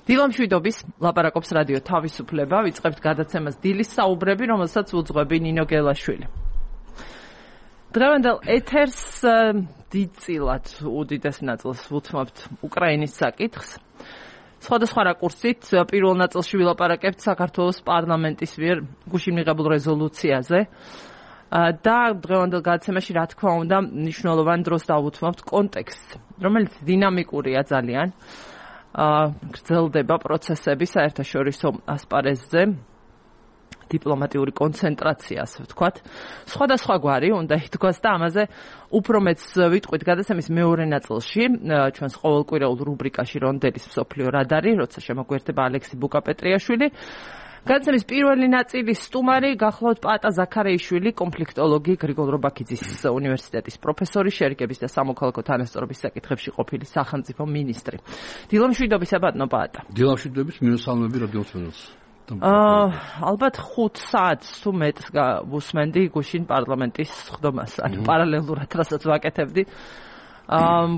დილამშვიდობის ლაპარაკობს რადიო თავისუფლება, ვიწყებთ გადაცემას დილის საუბრები, რომელსაც უძღვები ნინო გელაშვილი. დღევანდელ ეთერს დიდწილად უდიდეს ნაწილს ვუთმობთ უკრაინის საკითხს. სხვადასხვა რაკურსით პირველ ნაწილში ვილაპარაკებთ საქართველოს პარლამენტის მიერ გუშინ მიღებულ რეზოლუციაზე და დღევანდელ გადაცემაში რა თქმა უნდა მნიშვნელოვან დროს დავუთმობთ კონტექსტს, რომელიც დინამიკურია ძალიან. გრძელდება პროცესები საერთაშორისო ასპარეზზე, დიპლომატიური კონცენტრაცია, ასე ვთქვათ. სხვადასხვა გვარი უნდა ითქვას და ამაზე უფრო მეც ვიტყვით გადაცემის მეორე ნაწილში, ჩვენს ყოველკვირეულ რუბრიკაში რონდელის მსოფლიო რადარი, როცა შემოგვერთება ალექსი ბუკაპეტრიაშვილი. გადაცემის პირველი ნაწილის სტუმარი გახლავთ პაატა ზაქარეიშვილი, კონფლიქტოლოგი, გრიგოლ რობაქიძის უნივერსიტეტის პროფესორი, შერიგების და სამოქალაქო თანასწორობის საკითხებში ყოფილი სახელმწიფო მინისტრი. დილამშვიდობისა ბატონო პაატა. დილამშვიდობის მინუსალმები რადიოსმენელს. ალბათ 5 საათს თუ მეტს ვუსმენდი გუშინ პარლამენტის სხდომას, ანუ პარალელურად რასაც ვაკეთებდი.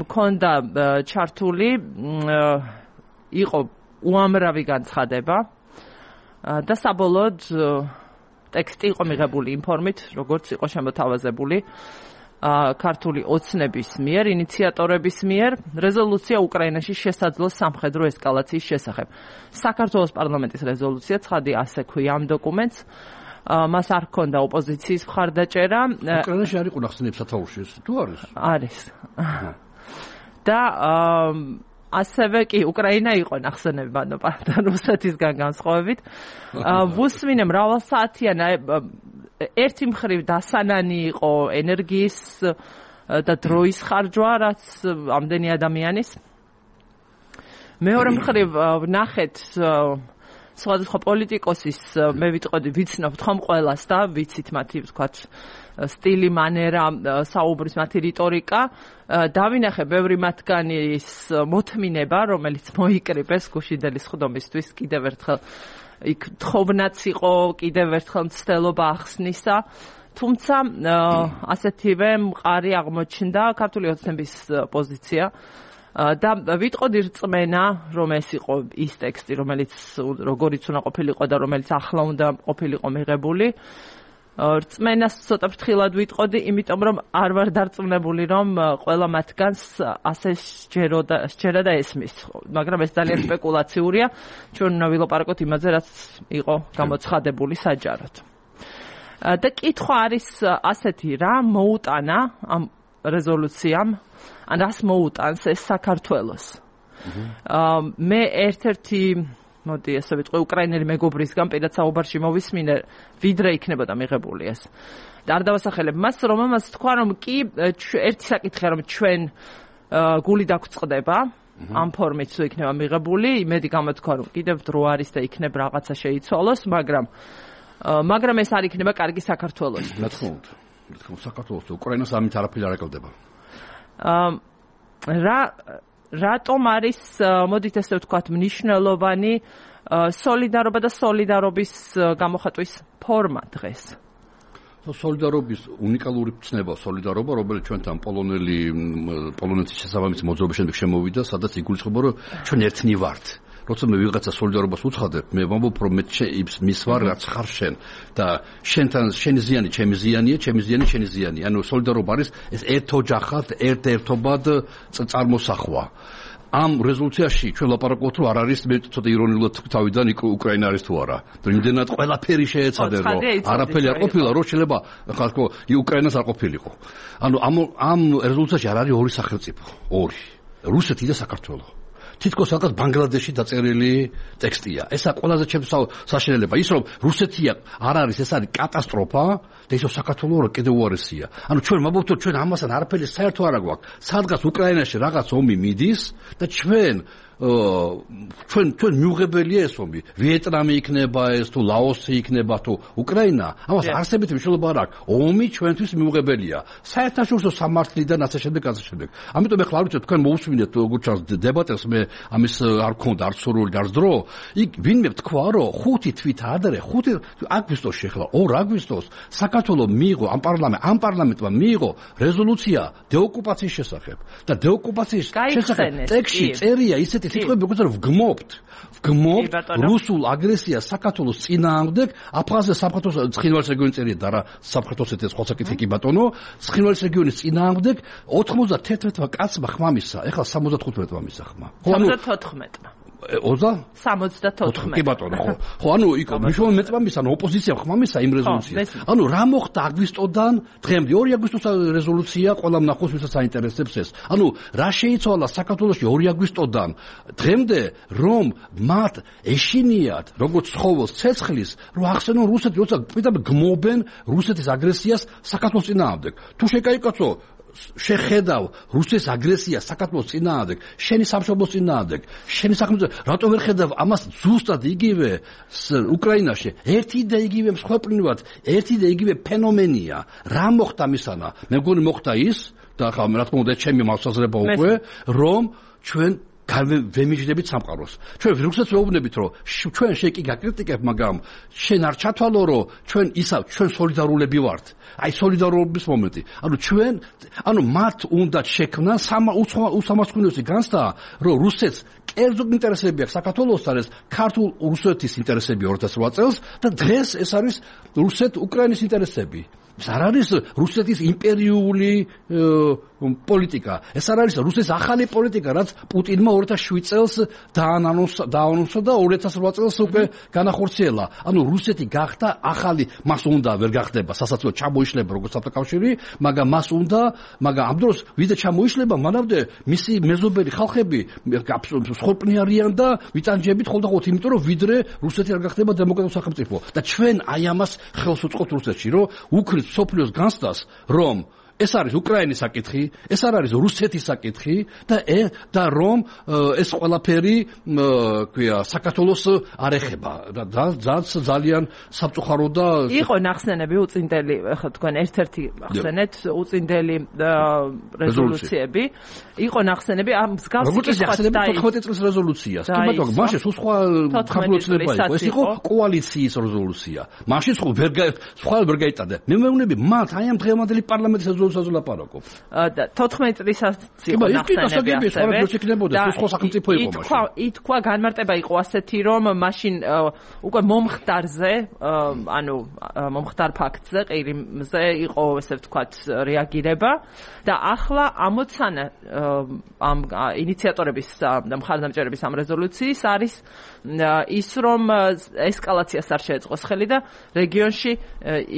მქონდა ჩართული, იყო უამრავი განცხადება და საბოლოოდ ტექსტი იყო მიღებული ინფორმით, როგორც იყო შემოთავაზებული ქართული ოცნების მიერ, ინიციატორების მიერ, რეზოლუცია უკრაინაში შესაძლო სამხედრო ესკალაციის შესახებ. საქართველოს პარლამენტის რეზოლუცია, ცხადი ასე ქვია ამ დოკუმენტს, მას არ ჰქონდა ოპოზიციის მხარდაჭერა. უკრაინაში არ იყო ნახსენები სათაურში, თუ არის? არის. და ასევე კი უკრაინა იყო ნახსენები პაატა რუსეთისგან განსხვავებით. ვუსმინე მრავალსაათიან ერთი მხრივ დასანანი იყო ენერგიის და დროის ხარჯვა, რაც ამდენი ადამიანის. მეორე მხრივ ვნახეთ სხვადასხვა პოლიტიკოსის, მე ვიტყოდი, ვიცნობთ ხომ ყველას და ვიცით მათი ვთქვათ სტილი, მანერა, საუბრის მათი რიტორიკა. დავინახე ბევრი მათგანის მოთმინება, რომელიც მოიკრიბეს გუშინდელი სხდომისთვის, კიდევ ერთხელ იქ თხოვნაც იყო, კიდევ ერთხელ მცდელობა ახსნისა. თუმცა ასეთივე მყარი აღმოჩნდა ქართული ოცნების პოზიცია და ვიტყოდი რწმენა, რომ ეს იყო ის ტექსტი, რომელიც როგორიც უნდა ყოფილიყო და რომელიც ახლა უნდა ყოფილიყო მიღებული. რწმენას ცოტა ფრთხილად ვიტყოდი, იმიტომ რომ არ ვარ დარწმუნებული, რომ ყველა მათგანს ასე სჯერა და ესმის. მაგრამ ეს ძალიან სპეკულაციურია. ჩვენ უნდა ვილაპარაკოთ იმაზე, რაც იყო გამოცხადებული საჯაროდ. და კითხვა არის ასეთი, რა მოუტანა ამ რეზოლუციამ, ან რას მოუტანს ეს საქართველოს. მე ერთ-ერთი მოდი ასე ვიტყვი, უკრაინელი მეგობრისგან პირად საუბარში მოვისმინე, ვიდრე იქნებოდა მიღებული ეს. და არ დავასახელებ მას, რომ ამას თქვა, რომ კი ერთი საკითხია, რომ ჩვენ გული დაგვწყდება, ამ ფორმით თუ იქნება მიღებული, იმედი გამოთქვა, რომ კიდევ დრო არის და იქნებ რაღაცა შეიცვალოს, მაგრამ ეს არ იქნება კარგი საქართველოს. რა თქმა უნდა, საქართველოს უკრაინას ამით არაფერი არ აკელდება. რატომ არის, მოდით ესე ვთქვათ, მნიშვნელოვანი სოლიდარობა და სოლიდარობის გამოხატვის ფორმა დღეს? სოლიდარობის უნიკალური ცნება, სოლიდარობა, რომელიც ჩვენთან პოლონეთის შესაბამისი მოძრაობის შემდეგ შემოვიდა, სადაც იგულისხმება, რომ ჩვენ ერთნი ვართ. როცა მე ვიღაცა სოლიდარობას უცხადებ, მე ვამბობ, რომ მე მის ვარ, რაც ხარ შენ და შენთან შენი ზიანი, ჩემი ზიანია, ჩემი ზიანი, შენი ზიანი. ანუ სოლიდარობა არის ეს ერთოჯახად, ერთ-ერთობად წარმოსახვა. ამ რეზოლუციაში ჩვენ ლაპარაკობთ, რომ არ არის, მე ცოტა ირონიულად თავიდან უკრაინა არის თუ არა. იმდენად ყველაფერი შეეცადე, რომ არაფერი არ ყოფილა, რომ შეიძლება ხალხო უკრაინას არ ყოფილიყო. ანუ ამ რეზოლუციაში არ არის ორი სახელმწიფო, ორი. რუსეთი და საქართველო. თითქოს რაღაც ბანგლადეში დაწერილი ტექსტია. ესა ყველაზე ჩემს საშინელება. ის რომ რუსეთია არ არის, ეს არის კატასტროფა და ისო საქართველო კიდევ უარესია. ანუ ჩვენ ვამბობთ, რომ ჩვენ ამასთან არაფერი საერთო არ აქვს. სადღაც უკრაინაში რაღაც ომი მიდის და ჩვენ მიუღებელია ეს ომი. ვიეტნამი იქნება ეს თუ ლაოსი იქნება თუ უკრაინა, ამას არსებითი მნიშვნელობა არ აქვს. ომი ჩვენთვის მიუღებელია. საერთაშორისო სამართლიდან ასე შემდეგ. ამიტომ ეხლა არ ვიცი თქვენ მოусმინეთ როგორც ჩანს დებატებს, მე ამის არ გქონდა არც სურვილი და არც დრო. იქ ვინმე თქვა, რომ 5 თვით ადრე, 5 აგვისტოში ახლა 2 აგვისტოს საქართველოს მიიღო ამ პარლამენტმა მიიღო რეზოლუცია დეოკუპაციის შესახებ და დეოკუპაციის შესახებ ტექსტში წერია ისეთ ასეთი სიტყვები როგორ ვგმობთ რუსულ აგრესიას საქართველოს წინააღმდეგ აფხაზეთის სამხატვრო ცხინვალის რეგიონის წერია და რა სამხატვრო ეს ხო საკითხი კი ბატონო ცხინვალის რეგიონის წინააღმდეგ 91-მა კაცმა ხმამისა ეხლა 75-მა მისა ხმა 74-მა 74 კი ბატონო ხო ანუ იქ მნიშვნელოვანი მეწამის ანუ ოპოზიცია ხმამისა იმ რეზოლუციას ანუ რა მოხდა აგვისტოდან დღემდე 2 აგვისტოს რეზოლუცია ყველა მნახოს ვისაც აინტერესებს ეს ანუ რა შეიცვალა საქართველოში 2 აგვისტოდან დღემდე რომ მათ ეშინიათ როგორც ცხოველს ცეცხლის რომ ახსენონ რუსეთი როცა პირდაპირ გმობენ რუსეთის აგრესიას საქართველოს წინააღმდეგ თუ შეკაიკაცო შეხედავ რუსეთის აგრესიას საქართველოს წინააღმდეგ, შენი სამშობლოს წინააღმდეგ, შენი სახელმწიფო, რატო ვერ ხედავ ამას ზუსტად იგივე უკრაინაში? ერთი და იგივე მსხვერპლად, ერთი და იგივე ფენომენია. რა მოხდა მისანა? მე მგონი მოხდა ის და ხა რა თქმა უნდა ჩემი მასაზრება უკვე, რომ ჩვენ ვემიჯნებით სამყაროს. ჩვენ რუსეთს ვეუბნებით, რომ ჩვენ შეკი გაკრიტიკებ, მაგრამ შენ არ ჩათვალო, რომ ჩვენ სოლიდარულები ვართ. აი სოლიდარობის მომენტი. ანუ მათ უნდა შექმნან უსამართლოების განცდა, რომ რუსეთს კერძო ინტერესები აქვს საქართველოსთან, ეს ქართულ რუსეთის ინტერესები 2008 წელს და დღეს ეს არის რუსეთ-უკრაინის ინტერესები. ეს არ არის რუსეთის იმპერიული პოლიტიკა. ეს არ არის რუსეთის ახალი პოლიტიკა, რაც პუტინმა 2007 წელს დაანონსა და 2008 წელს უკვე განახორციელა. ანუ რუსეთი გახდა ახალი, მას უნდა ვერ გახდება სასაცილო ჩამოიშლება როგორც საბჭოთა მაგრამ მას უნდა, მაგრამ ამ დროს ვიდრე ჩამოიშლება, მანამდე მისი მეზობელი ხალხები მსხვერპლი არიან და ვიტანჯებით ხოლმე, იმიტომ რომ ვიდრე რუსეთი არ გახდება დემოკრატიული სახელმწიფო. და ჩვენ აი ამას ხელს უწყობთ რუსეთში, რომ უქმნის სოფლიოს განცდას, რომ ეს არის უკრაინის საკითხი, ეს არ არის რუსეთის საკითხი და რომ ეს ყველაფერი ქვია საქართველოს არ ეხება და ძალიან სამწუხარო და იყო ნახსენები უწინდელი ხო თქვენ ერთ-ერთი ახსენეთ უწინდელი რეზოლუციები იყო ნახსენები ამ მსგავსი როგორც ახსენები 14 წლის რეზოლუციას კი ბატონო მაშინ სხვა ხარბლოცნება იყო ეს იყო კოალიციის რეზოლუცია მაშინ სხვა ვერ გაიტადა მე მეუბნები მათ აი ამ დღევანდელი პარლამენტის რეზოლუციაზე ლაპარაკობ 14 წლისაც იყო ნახსენები ითქვა განმარტება იყო ასეთი რომ მაშინ უკვე მომხდარზე ანუ მომხდარ ფაქტზე ყირიმზე იყო ესე ვთქვათ რეაგირება და ახლა ამოცანა ამ ინიციატორების და მხარდამჭერების ამ რეზოლუციის არის ის რომ ესკალაციას არ შეეწყოს ხელი და რეგიონში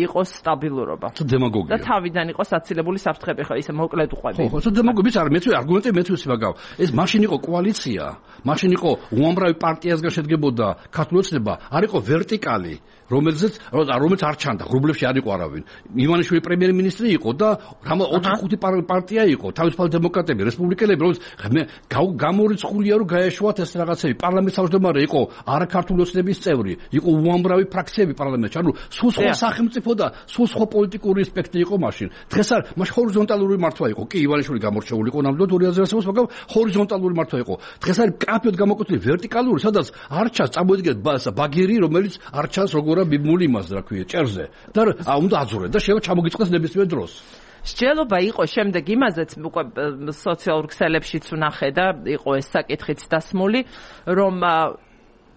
იყოს სტაბილურობა დემაგოგია და თავიდან იყოს აცილებული საფრთხები ხო ისე მოკლედ უყვები ხო დემაგოგია არ მეცვი არგუმენტი მეცვი მაგავ ეს მაშინ იყო კოალიცია მაშინ იყო უამრავი პარტიისგან შედგებოდა ქართული ოცნება არ იყო ვერტიკალი რომელიც არ ჩანდა ღრუბლებში არ იყო არავინ ივანიშვილი პრემიერ-მინისტრი იყო და 4-5 პარტია იყო თავისუფალი დემოკრატები რესპუბლიკელები რომელიც გამორიცხულია რომ გაეშვათ ეს რაღაცები პარლამენტის თავმჯდომარე იყო არაქართული ოცნების წევრი იყო უამრავი ფრაქციები პარლამენტში ანუ სულ სხვა სახელმწიფო და სულ სხვა პოლიტიკური ასპექტი იყო მაშინ დღეს არ მაშინ ჰორიზონტალური მართვა იყო კი ივანიშვილი გამორჩეული იყო ნამდვილად 2000-ს მაგრამ ჰორიზონტალური მართვა იყო დღეს არის კაფეოდ გამოკვეთილი ვერტიკალური სადაც არ ჩანს წამოიდგეთ ბაგირი რომელიც არ ჩანს როგორ ბიბმული იმას რა ქვია ჭერზე და უნდა აძურე და შეიძლება ჩამოგიწყდეს ნებისმიერ დროს სჯელობა იყო შემდეგ იმაზეც უკვე სოციალურ ქსელებშიც ვნახე და იყო ეს საკითხიც დასმული რომ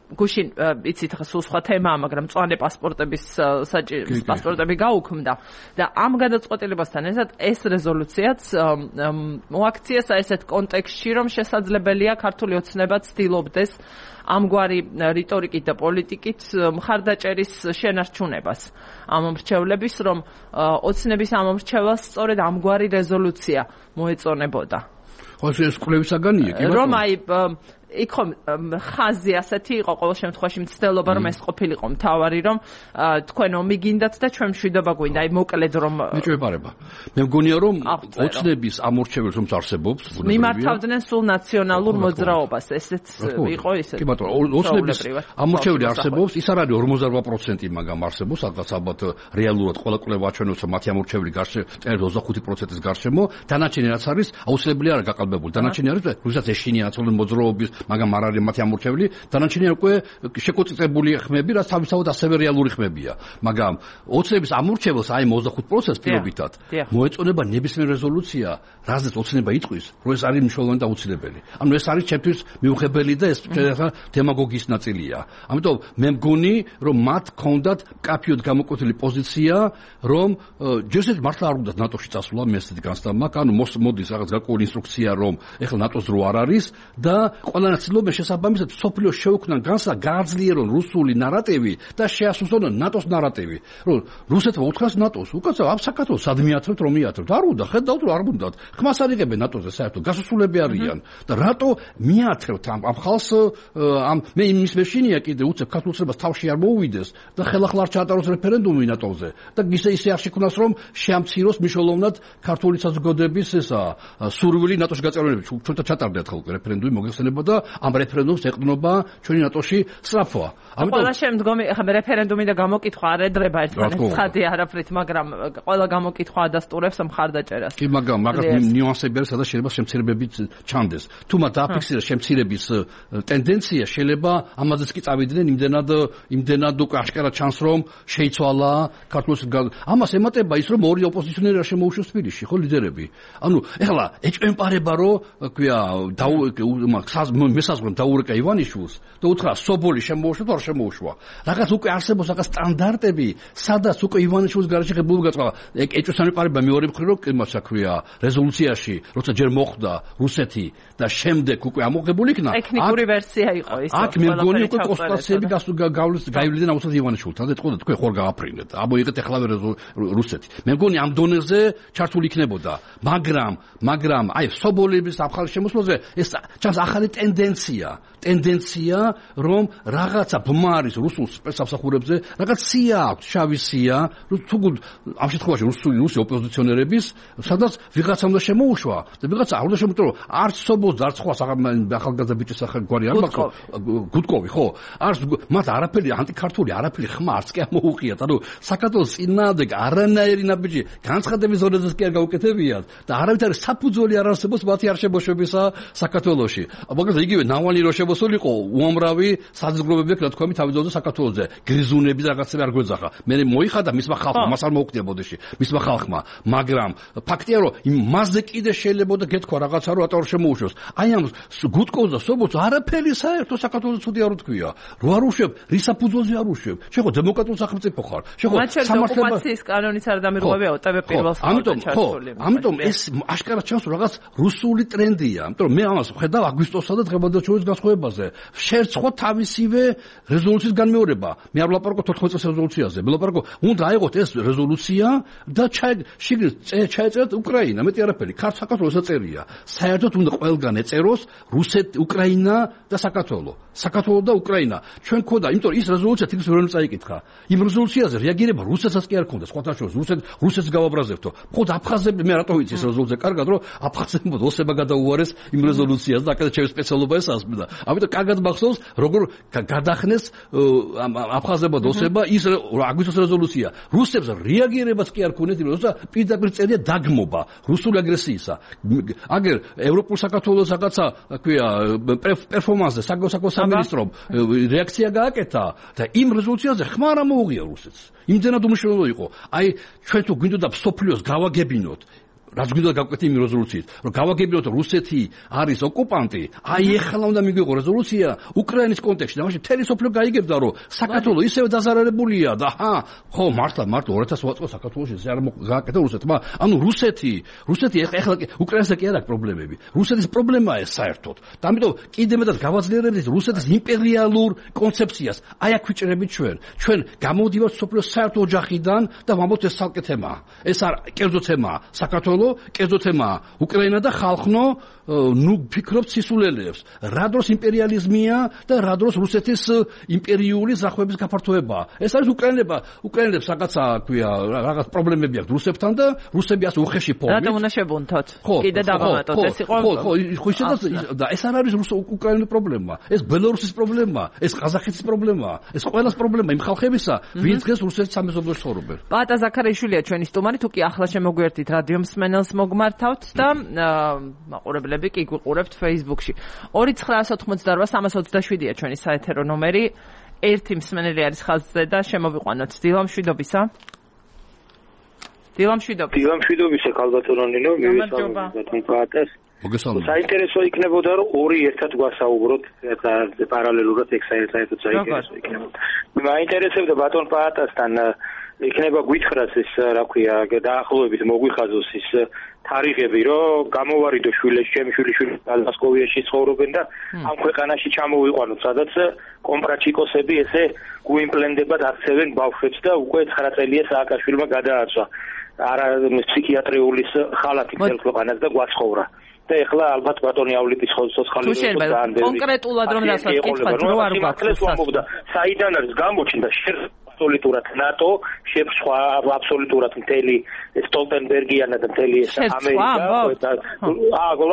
გუშინ იცით ხა სულ სხვა თემაა მაგრამ მწვანე პასპორტების პასპორტები გაუქმდა და ამ გადაწყვეტილებასთან ერთად ეს რეზოლუციაც მოაქციეს ესეთ კონტექსტში რომ შესაძლებელია ქართული ოცნება ცდილობდეს ამგვარი რიტორიკით და პოლიტიკით მხარდაჭერის შენარჩუნებას ამ მრჩევლების რომ ოცნების ამ მრჩევლას სწორედ ამგვარი რეზოლუცია მოეწონებოდა ხო ეს კვლევისაგანია კი რომ აი იქ ხომ ხაზი ასეთი იყო ყოველ შემთხვევაში მცდელობა რომ ეს ყოფილიყო მთავარი რომ თქვენ ომი გინდათ და ჩვენ მშვიდობა გვინდა აი მოკლედ რომ მეჭვებარება მე მგონია რომ ოცნების ამორჩეველს რომ არსებობს მიმართავდნენ სულ ნაციონალურ მოძრაობას ესეც იყო ისე კი ბატონო ოცნების ამორჩეველი არსებობს ის არ არის 48% მაგრამ არსებობს ალბათ რეალურად ყველა კვლევა აჩვენებს რომ მათი ამორჩეველი გარშემო 25%-ის გარშემო დანარჩენი რაც არის აუცილებელია არ გაყავდა განსხვავებული. დანარჩენი არის რუსეთს ეშინია აცოლენ მოძრაობის, მაგრამ არ არის მათი ამორჩეველი. დანარჩენი უკვე შეკოწიწებული ხმები, რაც თავისთავად ასევე რეალური ხმებია. მაგრამ ოცნების ამორჩეველს აი 25% პირობითად მოეწონება ნებისმიერ რეზოლუცია, რაზეც ოცნება იტყვის, რომ ეს არის მნიშვნელოვანი და აუცილებელი. ანუ ეს არის ჩემთვის მიუღებელი და ეს დემაგოგიის ნაწილია. ამიტომ მე მგონი, რომ მათ ჰქონდათ კაფიოდ გამოკვეთილი პოზიცია, რომ ჯერჯერობით მართლა არ უნდა ნატოში წასვლა, მე ესეთი განცდა მაქვს, ანუ მოდის რაღაც გარკვეული ინსტრუქცია, რომ ეხლა ნატოს დრო არ არის და ყველანაირ ცდილობენ შესაბამისად სოფლიოს შეუქმნან განსა გააძლიერონ რუსული ნარატივი და შეასუსტონ ნატოს ნარატივი. რომ რუსეთმა უთხრას ნატოს, უკაცრავ ამ საქართველოს სად მიათრევთ, რომ მიათრევთ? არ უნდა, ხედავთ რომ არ უნდათ. ხმას არ იღებენ ნატოზე საერთოდ, გასასვლელები არიან და რატო მიათრევთ ამ ხალხს ამ მე იმის მეშინია კიდე უცებ ქართულს თავში არ მოუვიდეს და ხელახლა არ ჩაატაროს რეფერენდუმი ნატოზე და ისე არ შექმნას რომ შეამციროს მნიშვნელოვნად ქართული საზოგადოების ესა სურვილი ნატოში გაწევრიანების. ჩვენთან ჩატარდათ ხოლმე რეფერენდუმი მოგეხსენება და ამ რეფერენდუმს ეყრდნობა ჩვენი ნატოში სწრაფვა. ყველა შემდგომი ახლა რეფერენდუმი და გამოკითხვა არ ედრება ერთმანეთს ხადი არაფრით, მაგრამ ყველა გამოკითხვა ადასტურებს მხარდაჭერას. კი, მაგრამ ნიუანსები არის, სადაც შეიძლება შემცირებებით ჩანდეს. თუ მათ დააფიქსირეს შემცირების ტენდენცია, შეიძლება ამაზეც კი წავიდნენ იმდენად უკვე აშკარად ჩანს, რომ შეიცვალა ქართულს. ამას ემატება ის, რომ ორი ოპოზიციონერი არ შემოუშვეს თბილისში, ხო ლიდერები. ანუ ეხლა ეჭვემპარება, რომ ქვია მესაზღვრემ დაურეკა ივანიშვილს და უთხრა სობოლი შემოუშვა თუ არ შემოუშვა. რაღაც უკვე არსებობს რაღაც სტანდარტები, სადაც უკვე ივანიშვილის გარეშე ღებულობა გაწყდა. ეჭვესამეპარება მეორე მხრივ, რომ იმაცა ქვია რეზოლუციაში, როცა ჯერ მოხვდა რუსეთი და შემდეგ უკვე ამოღებული იქნა. ტექნიკური ვერსია იყო ის. აქ მე მგონი უკვე კონსტიტუციები გაივლიდნენ აუცილებლად ივანიშვილთან და ეთქოდა თქვენ ხوار გააფრინეთ. ამოიღეთ ეხლავე რუსეთი. მე მგონი ამ დონეზე ჩართული იქნებოდა. მაგრამ აი სობოლების ახალი შემოსვლაზე ეს ჩანს ახალი ტენდენცია, რომ რაღაცა ბმარის რუსულ სპეცსამსახურებზე რაღაც სია აქვს, შავი სია, თუ ამ შემთხვევაში რუსი ოპოზიციონერების, სადაც ვიღაცა უნდა შემოუშვა და ვიღაცა არ უნდა შემოუშვა, რომ არც სობოლს, არც სხვა ახალგაზრდა ბიჭის საქმე არ მაქვს, გუდკოვი, ხო? არც მათ არაფერი ანტიქართული, არაფერი ხმა არც კი ამოუყიათ. ანუ საქართველოს წინააღმდეგ არანაირი ნაბიჯი განცხადების ზონაზეც კი არ გაუკეთებიათ და არავითარი საფუძველი არ არსებობს მათი არ შემოშვებისა საქართველოში. მაგალითად იგივე ნავალნი რო შემოსულიყო, უამრავი საზოგადოებები აქვს, რა თქვა, თავიდანვე საქართველოზე გრიზუნები და რაღაცები არ გვეძახა. მე მოიხადა მისმა ხალხმა, მას არ მოუხდია ბოდიში, მისმა ხალხმა, მაგრამ ფაქტია, რომ მასზე კიდე შეიძლება და გეთქვა რაღაცა, რომ ატარ შემოუშვეს. აი ამ გუდკოვს და სობოლს არაფერი საერთო საქართველოს ცუდი არ უთქვია. რო არ უშვებ, რის საფუძველზე არ უშვებ? შეხო დემოკრატიული სახელმწიფო ხარ. შეხო ოკუპაციის კანონიც არ დამირღვევია ოტვ პირველს ჩართული. ამიტომ ეს აშკარად ჩანს, რომ რაღაც რუსული ტრენდია. ამიტომ მე ამას ხედავ აგვისტოსსა და დღევანდელ განსხვავებაზე. შერწყვა თავისივე რეზოლუციის განმეორება. მე არ ვლაპარაკობ 14 წელს რეზოლუციაზე. მე ვლაპარაკობ, უნდა აიღოთ ეს რეზოლუცია და ჩაეწერათ უკრაინა, მეტი არაფერი. საქართველოს ეწერია. საერთოდ უნდა ყველგან ეწეროს უკრაინა და საქართველო. საქართველო და უკრაინა. ჩვენ ქონდა, იმიტომ ის რეზოლუცია თითქოს ვერ წაიკითხა. იმ რეზოლუციაზე რეაგირება რუსეთსაც კი არ ქონდა. სხვათა შორის რუსეთს გავაბრაზებთო. მხოლოდ აფხაზები მე რატო ვიცი ეს რეზოლუცია კარგად, რომ აფხაზებმა ოსება გადაუარეს იმ რეზოლუციას და აქედან ჩემი სპეციალობა ეს ასმდა. ამიტომ კარგად მახსოვს, როგორ გადახნეს აფხაზებმა ოსება ის აგვისტოს რეზოლუცია. რუსებს რეაგირებაც კი არ ქონდათ, როცა პირდაპირ წერია დაგმობა რუსული აგრესიისა. აგერ ევროპულ საქართველოს რაღაცა, ქვია, პერფორმანსზე საკონსაკო სამინისტრომ რეაქცია გააკეთა და იმ რეზოლუციაზე ხმა არ მოუღია რუსეთს. იმდენად უმნიშვნელო იყო. აი ჩვენ თუ გვინდოდა სოფლიოს გავაგებინოთ, რაც გვინდა გავკეთე იმ რეზოლუციით, რომ გავაგებინოთ რუსეთი არის ოკუპანტი, აი ეხლა უნდა მიგვიღო რეზოლუცია უკრაინის კონტექსტში. მაშინ მთელი სოფლიო გაიგებდა, რომ საქართველო ისევე დაზარალებულია და ხო მართლა 2008 წელს საქართველოში ეს არ გააკეთა რუსეთმა. ანუ რუსეთი ეხლა უკრაინასთან კი არ აქვს პრობლემები. რუსეთის პრობლემაა ეს საერთოდ. და ამიტომ კიდე მეტად გავაძლიერებთ რუსეთის იმპერიალურ კონცეფციას. აი აქ ვიჭრებით ჩვენ. ჩვენ გამოვდივართ სოფლიოს საერთო ოჯახიდან და ვამბობთ ეს ცალკე თემაა. ეს არ კერძო თემაა. საქართველო კერძო თემაა. უკრაინა და ხალხნო ნუ ფიქრობთ სისულელეებს. რა დროს იმპერიალიზმია და რა დროს რუსეთის იმპერიული ზრახვების გაფართოებაა. ეს არის უკრაინელებს რაღაცა ქვია, რაღაც პრობლემები აქვს რუსებთან და რუსები ასე უხეში ფორმით. რატომ უნდა შევუნთოთ? კიდე დავამატოთ, ეს იყო. ხო, და ეს არ არის უკრაინის პრობლემა. ეს ბელორუსის პრობლემაა, ეს ყაზახეთის პრობლემაა, ეს ყველას პრობლემაა იმ ხალხებისა, ვინც დღეს რუსეთის სამეზობლოში ცხოვრობენ. პატა ზაქარიშვილია ჩვენი სტუმარი, თუ კი ახლა შემოგვიერთით რადიო მსმენელი პანელს მოგმართავთ და მაყურებლები კი გვიყურებთ Facebook-ში. 29988-327-ია ჩვენი საეთერო ნომერი. ერთი მსმენელი არის ხაზზე და შემოვიყვანოთ. დილა მშვიდობისა. დილა მშვიდობისა ქალბატონო, მივესალმებით ბატონს. საინტერესო იქნებოდა რომ ორი ერთად გვასაუბროთ პარალელურად ეგ საერთოდ საინტერესო იქნებოდა. მაინტერესებდა ბატონ პაატასთან იქნება გვითხრას ეს რა ქვია დაახლოებით მოგვიხაზოს ის თარიღები რომ გამოვარიდო შვილებს ჩემი შვილიშვილი მოსკოვიაში ცხოვრობენ და ამ ქვეყანაში ჩამოვიყვანოთ სადაც კომპრაჩიკოსები ესე გვიმპლენდებად აქცევენ ბავშვებს და უკვე 9 წელია სააკაშვილმა გადააცვა არა ფსიქიატრიული ხალათი მთელ ქვეყანას და გვაცხოვრა. და ეხლა ალბათ ბატონი ავლიპის სოციალური სოციალური კონკრეტულად რომ დასაკითხოთ რო არ გვაქვს საიდან არის გამოჩნდა აბსოლუტურად ნატო შეფრთხვა აბსოლუტურად მთელი სტოლტენბერგიანა და მთელი ეს ამერიკა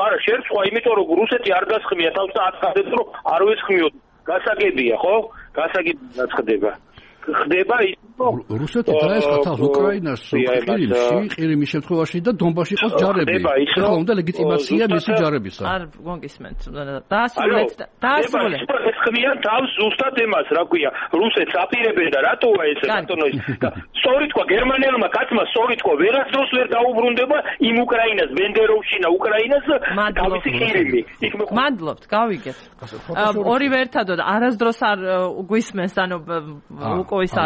არა შეფრთხვა იმიტომ რომ რუსეთი არ გასხმია თავს და აწადებს რომ არ ვესხმიოთ გასაგებია ხო გასაგებია ხდება ის რუსეთი დაესხა თავს უკრაინას ყირიმის შემთხვევაში და დონბასში ყავს ჯარები. ეხლა უნდა ლეგიტიმაცია მისი ჯარებისა. არ გონგისმენთ. დაასრულეთ. ეს ხმიან თავს ზუსტად εμას, რა ქვია, რუსეთს აპირებენ და რატოა ეს ბატონო ის. სწორი თქვა გერმანელმა კაცმა, სწორი თქვა, ვერასდროს ვერ დაუბრუნდება იმ უკრაინას, ბენდეროვშინა უკრაინას თავისი ყირიმი. მადლობთ, გავიგეთ. ორივე ერთადოდ არასდროს არ გვისმენს, ანუ უკოისა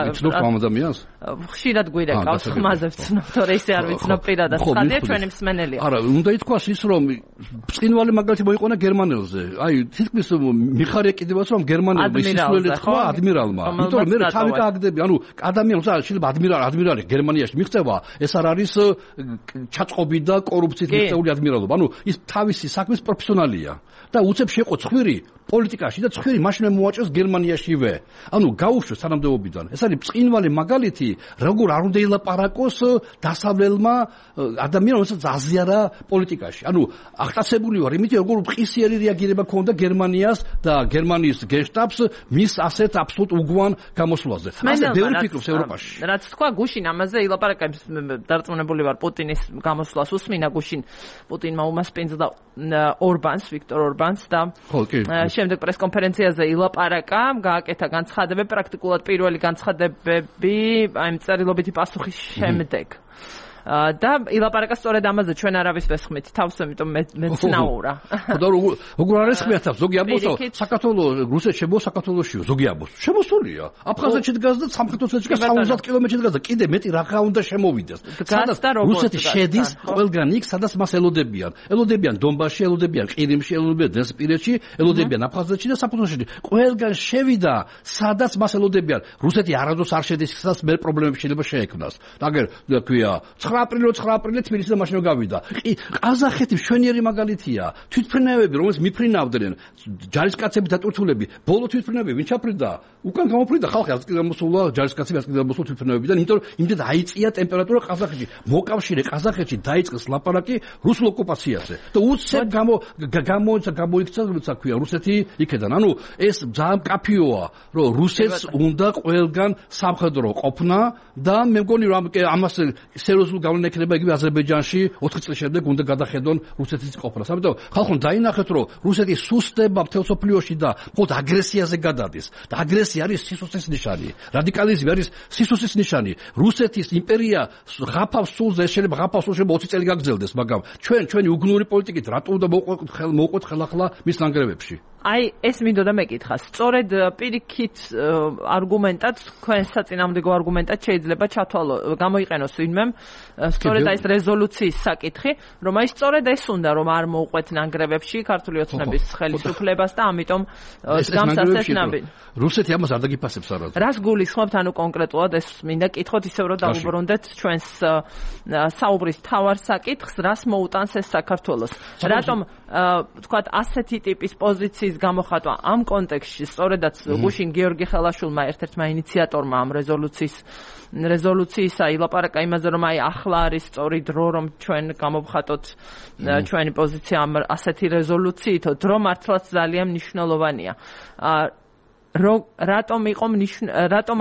ხშირად გვირეკავს ხმაზე ვცნობ, თორე ისე არ ვიცნობ პირადად. ხალხი ჩვენი მსმენელია. არა, უნდა ითქვას ის რომ ბრწყინვალე მაგალითი მოიყვანა გერმანელზე. აი, თითქმის მიხარია კიდევაც რომ გერმანელმა ისწავლე თქვა ადმირალმა. იმიტომ რომ მე თავი გააგდები, ანუ ადამიანს შეიძლება ადმირალი გერმანიაში მიღწევა, ეს არ არის ჩაწყობი და კორუფციით მიღწეული ადმირალობა. ანუ ის თავისი საქმის პროფესიონალია და უცებ შეყო ცხვირი პოლიტიკაში და ცხვირი მაშინ მოაჭრეს გერმანიაშივე. ანუ გაუშვეს თანამდებობიდან. ეს არის ბრწყინვალე მაგალითი, როგორ არ უნდა ელაპარაკოს დასავლელმა ადამიანმა, რომელსაც აზიარა პოლიტიკაში. ანუ აღტაცებული ვარ იმით, როგორ მყისიერი რეაგირება ქონდა გერმანიას და გერმანიის გენშტაბს მის ასეთ აბსოლუტ უგვან გამოსვლაზე. ასე ბევრი ფიქრობს ევროპაში. რაც თქვა გუშინ ამაზე ელაპარაკებს, დარწმუნებული ვარ პუტინის გამოსვლას უსმინა გუშინ პუტინმა უმასპინძლა ორბანს, ვიქტორ ორბანს და შემდეგ პრესკონფერენციაზე ილაპარაკა, გააკეთა განცხადებები, პრაქტიკულად პირველი განცხადებები აი წერილობითი პასუხის შემდეგ. და ილაპარაკა სწორედ ამაზე ჩვენ არავის ვესხმით თავს, ამიტომ მეცნაურა. და როგორ არის ხმია თავს, ზოგი ამბობს, საქართველოს რუსეთში შემოვა საქართველოსშიო, ზოგი ამბობს. შემოსულია. აფხაზეთში დგას და სამხრეთ ოსეთში 70 კილომეტრში დგას და კიდე მეტი რაღა უნდა შემოვიდეს. სადაც რუსეთი შედის ყველგან იქ, სადაც მას ელოდებიან. ელოდებიან დონბასში, ელოდებიან ყირიმში, ელოდებიან დნესპირეთში, ელოდებიან აფხაზეთში და საფრანგეთში. ყველგან შევიდა, სადაც მას ელოდებიან. რუსეთი არასდროს არ შედის, სადაც მე პრობლემები შეიძლება შეექმნას. აგერ თქვია 9 აპრილი თბილისიდან მაშინ გავიდა. ყაზახეთი მშვენიერი მაგალითია. თვითმფრინავები, რომელიც მიფრინავდნენ, ჯარისკაცები დატვირთულები, ბოლო თვითმფრინავები ვინ ჩაფრინდა? უკან გამოფრინდა ხალხი, ასე გამოსულა ჯარისკაცები, ასე გამოსულა თვითმფრინავებიდან, იმიტომ რომ იმდენ აიწია ტემპერატურა ყაზახეთში. მოკავშირე ყაზახეთში დაიწყეს ლაპარაკი რუსულ ოკუპაციაზე. და უცებ გამოიქცა, როცა ქვია რუსეთი იქედან. ანუ ეს ძალიან კაფიოა, რომ რუსეთს უნდა ყველგან სამხედრო ყოფნა და მე მგონი რომ ამას სერიოზულ გავლენა ექნება იგივე აზერბაიჯანში 4 წლის შემდეგ უნდა გადახედონ რუსეთის ყოფნა. ამიტომ ხალხო დაინახეთ რომ რუსეთი სუსტება მთელ სოფლიოში და მხოლოდ აგრესიაზე გადადის. და აგრესია არის სისუსტის ნიშანი. რადიკალიზმი არის სისუსტის ნიშანი. რუსეთის იმპერია ღაფავს სულზე, შეიძლება ღაფავს სულზე 20 წელი გაგრძელდეს, მაგრამ ჩვენი უგნური პოლიტიკით რატო უნდა მოვყვეთ ხელახლა მის ნანგრევებში? აი ეს მინდოდა მეკითხა. სწორედ პირიქით არგუმენტად, თქვენ საწინააღმდეგო არგუმენტად შეიძლება ჩათვალო, გამოიყენოს ვინმე სწორედ ეს რეზოლუციის საკითხი, რომ აი სწორედ ეს უნდა რომ არ მოუყვეთ ნანგრევებში ქართული ოცნების ხელისუფლებას და ამიტომ გამსასწრებს ნაბი. რუსეთი ამას არ დაგიფასებს არასდროს. რას გულისხმობთ, ანუ კონკრეტულად ეს მინდა კითხოთ ისევ რომ დავუბრუნდეთ ჩვენს საუბრის თავარ საკითხს, რას მოუტანს ეს საქართველოს. რატომ თქვათ ასეთი ტიპის პოზიციის გამოხატვა ამ კონტექსტში სწორედაც გუშინ გიორგი ხელაშვილმა ერთ-ერთმა ინიციატორმა ამ რეზოლუციისა ილაპარაკა იმაზე რომ აი ახლა არის სწორი დრო რომ ჩვენ გამოვხატოთ ჩვენი პოზიცია ამ ასეთი რეზოლუციით, დრო მართლაც ძალიან მნიშვნელოვანია. რატომ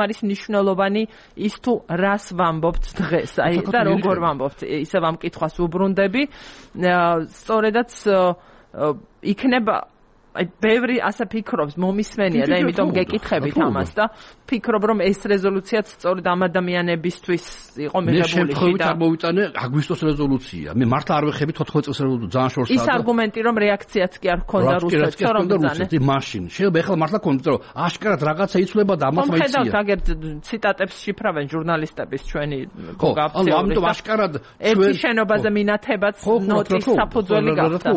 არის მნიშვნელოვანი ის თუ რას ვამბობთ დღეს, აი და როგორ ვამბობთ, ისე ამ კითხვას უბრუნდები. სწორედაც იქნება აი ბევრი ასე ფიქრობს მომისმენია და იმიტომ გეკითხებით ამას და ფიქრობ რომ ეს რეზოლუციაც სწორედ ამ ადამიანებისთვის იყო მიღებული. მე შემთხვევით არ მოვიტანე აგვისტოს რეზოლუცია. მე მართლა არ ვეხები 14 წელს რეზოლუცია ძალიან შორსაა. ის არგუმენტი რომ რეაქციაც კი არ ჰქონდა რუსეთს რომ ბრძანა. მაშინ შეიძლება ეხლა მართლა კონტროლ აშკარად რაღაცა იცვლება და ამას მაიცია. ხედავთ აგერ ციტატებს შიფრავენ ჟურნალისტების ჩვენი გაფცეულობრივ. ამიტომ აშკარად ერთი შენობაზე მინათებაც ნოტის საფუძველი გახდა.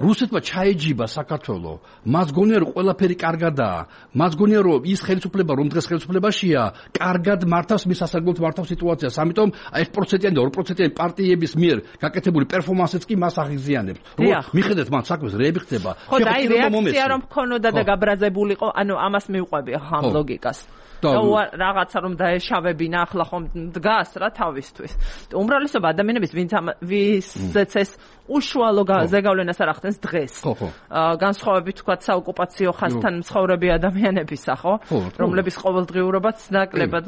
რუსეთმა ჩაეჯიბა საქართველო. მას გონია რომ ყველაფერი კარგადაა. მას გონია რომ ის ხელისუფლება რომ დღეს ხელისუფლებაშია, კარგად მართავს მის სასარგებლოდ მართავს სიტუაციას. ამიტომ 1%-იანი და 2%-იანი პარტიების მიერ გაკეთებული პერფორმანსიც კი მას აღიზიანებს. რომ მიხედეთ მან საქმეს რეები ხდება. ხო და აი რეაქცია რომ ქონოდა და გაბრაზებულიყო, ანუ ამას მივყვები ახლა ამ ლოგიკას. და რაღაცა რომ დაეშავებინა ახლა ხომ დგას რა თავისთვის. უმრავლესობა ადამიანების ვისაც ეს უშუალო ზეგავლენას არ ახდენს დღეს. განსხვავებით თქვა საოკუპაციო ხაზთან მცხოვრები ადამიანებისა, ხო? რომლების ყოველდღიურობაც ნაკლებად,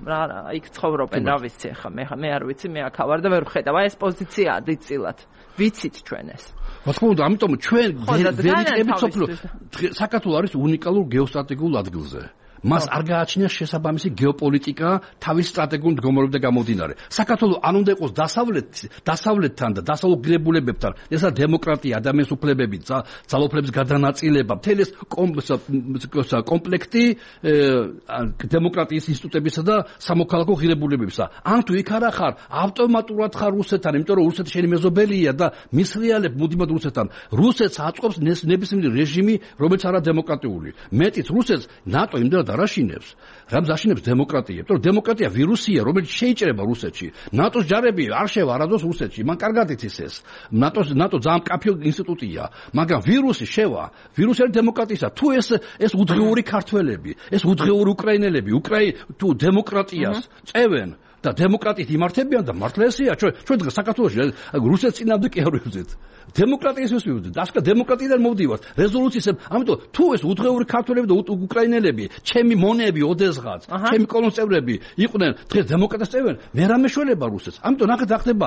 რა იქ ცხოვრობენ, რა ვიცი ახლა მე არ ვიცი, მე აქ ავარ და ვერ ვხედავ. აი ეს პოზიციაა დიწილად. ვიცით ჩვენ ეს. მოხდა, ამიტომ ჩვენ ვერ იყებით სოფლო. საქართველო არის უნიკალურ გეოსტრატეგიულ ადგილზე. მას არ გააჩნია შესაბამისი გეოპოლიტიკა თავის სტრატეგიულ მდგომარეობიდან გამომდინარე. საქართველოს არ უნდა იყოს დასავლეთთან და დასავლურ ღირებულებებთან, ესა დემოკრატია, ადამიანის უფლებები, ძალაუფლების გადანაწილება, მთელი ეს კომპლექტი დემოკრატიის ინსტიტუტებისა და სამოქალაქო ღირებულებებისა. ან თუ იქ არა ხარ, ავტომატურად ხარ რუსეთთან, იმიტომ რომ რუსეთი შენი მეზობელია და მისრიალებ მუდმივად რუსეთთან. რუსეთს აწყობს ნებისმიერი რეჟიმი, რომელიც არა დემოკრატიული. მეტიც რუსეთს ნატო იმდენად არაშინებს, რამს აშინებს დემოკრატია. იმიტომ რომ დემოკრატია ვირუსია, რომელიც შეიჭრება რუსეთში. ნატოს ჯარები არ შევა არადოს რუსეთში. მან კარგად იცის ეს. ნატო ძალიან მკაფიო ინსტიტუტია. მაგრამ ვირუსი შევა. ვირუსი არის დემოკრატისა. თუ ეს უძღიური ქართველები, ეს უძღიური უკრაინელები, თუ დემოკრატიას წევენ და დემოკრატიით იმართებიან და მართლა ესეა. ჩვენ დღეს საქართველოში რუსეთს წინააღმდეგ კი არ ვიბრძვით. დემოკრატიის ვიბრძვით. დასკა დემოკრატიიდან მოვდივართ. რეზოლუციებს, ამიტომ თუ ეს უძღეული ქართველები და უკრაინელები, ჩემი მონები, ოდესღაც, ჩემი კოლონწევრები იყვნენ დღეს დემოკრატიას წევენ, ვერ ამეშველება რუსეთს. ამიტომ ნახეთ ახდება,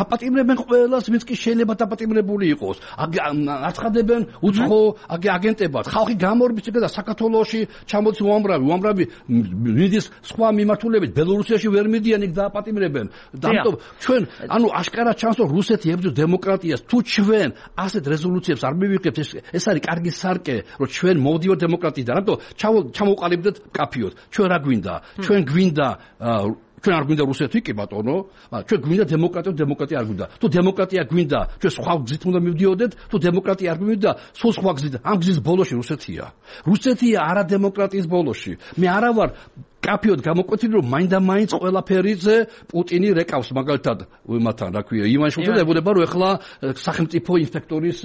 აპატიმრებენ ყველას, ვინც კი შეიძლება დაპატიმრებული იყოს. აცხადებენ უცხო აგენტებად. ხალხი გამორბის და საქართველოში ჩამოდის უამრავი მიდის სხვა მიმართულებით ბელორუსიაში ვერ მიდიან იქ დააპატიმრებენ. ამიტომ ჩვენ ანუ აშკარად ჩანს რომ რუსეთი ებრძვის დემოკრატიას. თუ ჩვენ ასეთ რეზოლუციებს არ მივიღებთ, ეს არის კარგი სარკე, რომ ჩვენ მოვდივართ დემოკრატიიდან. ამიტომ ჩამოვყალიბდეთ კაფიოდ. ჩვენ რა გვინდა? ჩვენ გვინდა ჩვენ არ გვინდა რუსეთი კი ბატონო, ჩვენ გვინდა დემოკრატია არ გვინდა. თუ დემოკრატია გვინდა, ჩვენ სხვა გზით უნდა მივდიოდეთ, თუ დემოკრატია არ გვინდა, სულ სხვა გზით. ამ გზის ბოლოში რუსეთია. რუსეთია არა დემოკრატიის ბოლოში. მე არა ვარ კაფიოდ გამოკვეთილი რომ მაინდა-მაინც ყველაფერიზე პუტინი რეკავს მაგალითად მათთან რა ქვია ივან შულცი ებუნება რომ ეხლა სახელმწიფო ინსპექტორის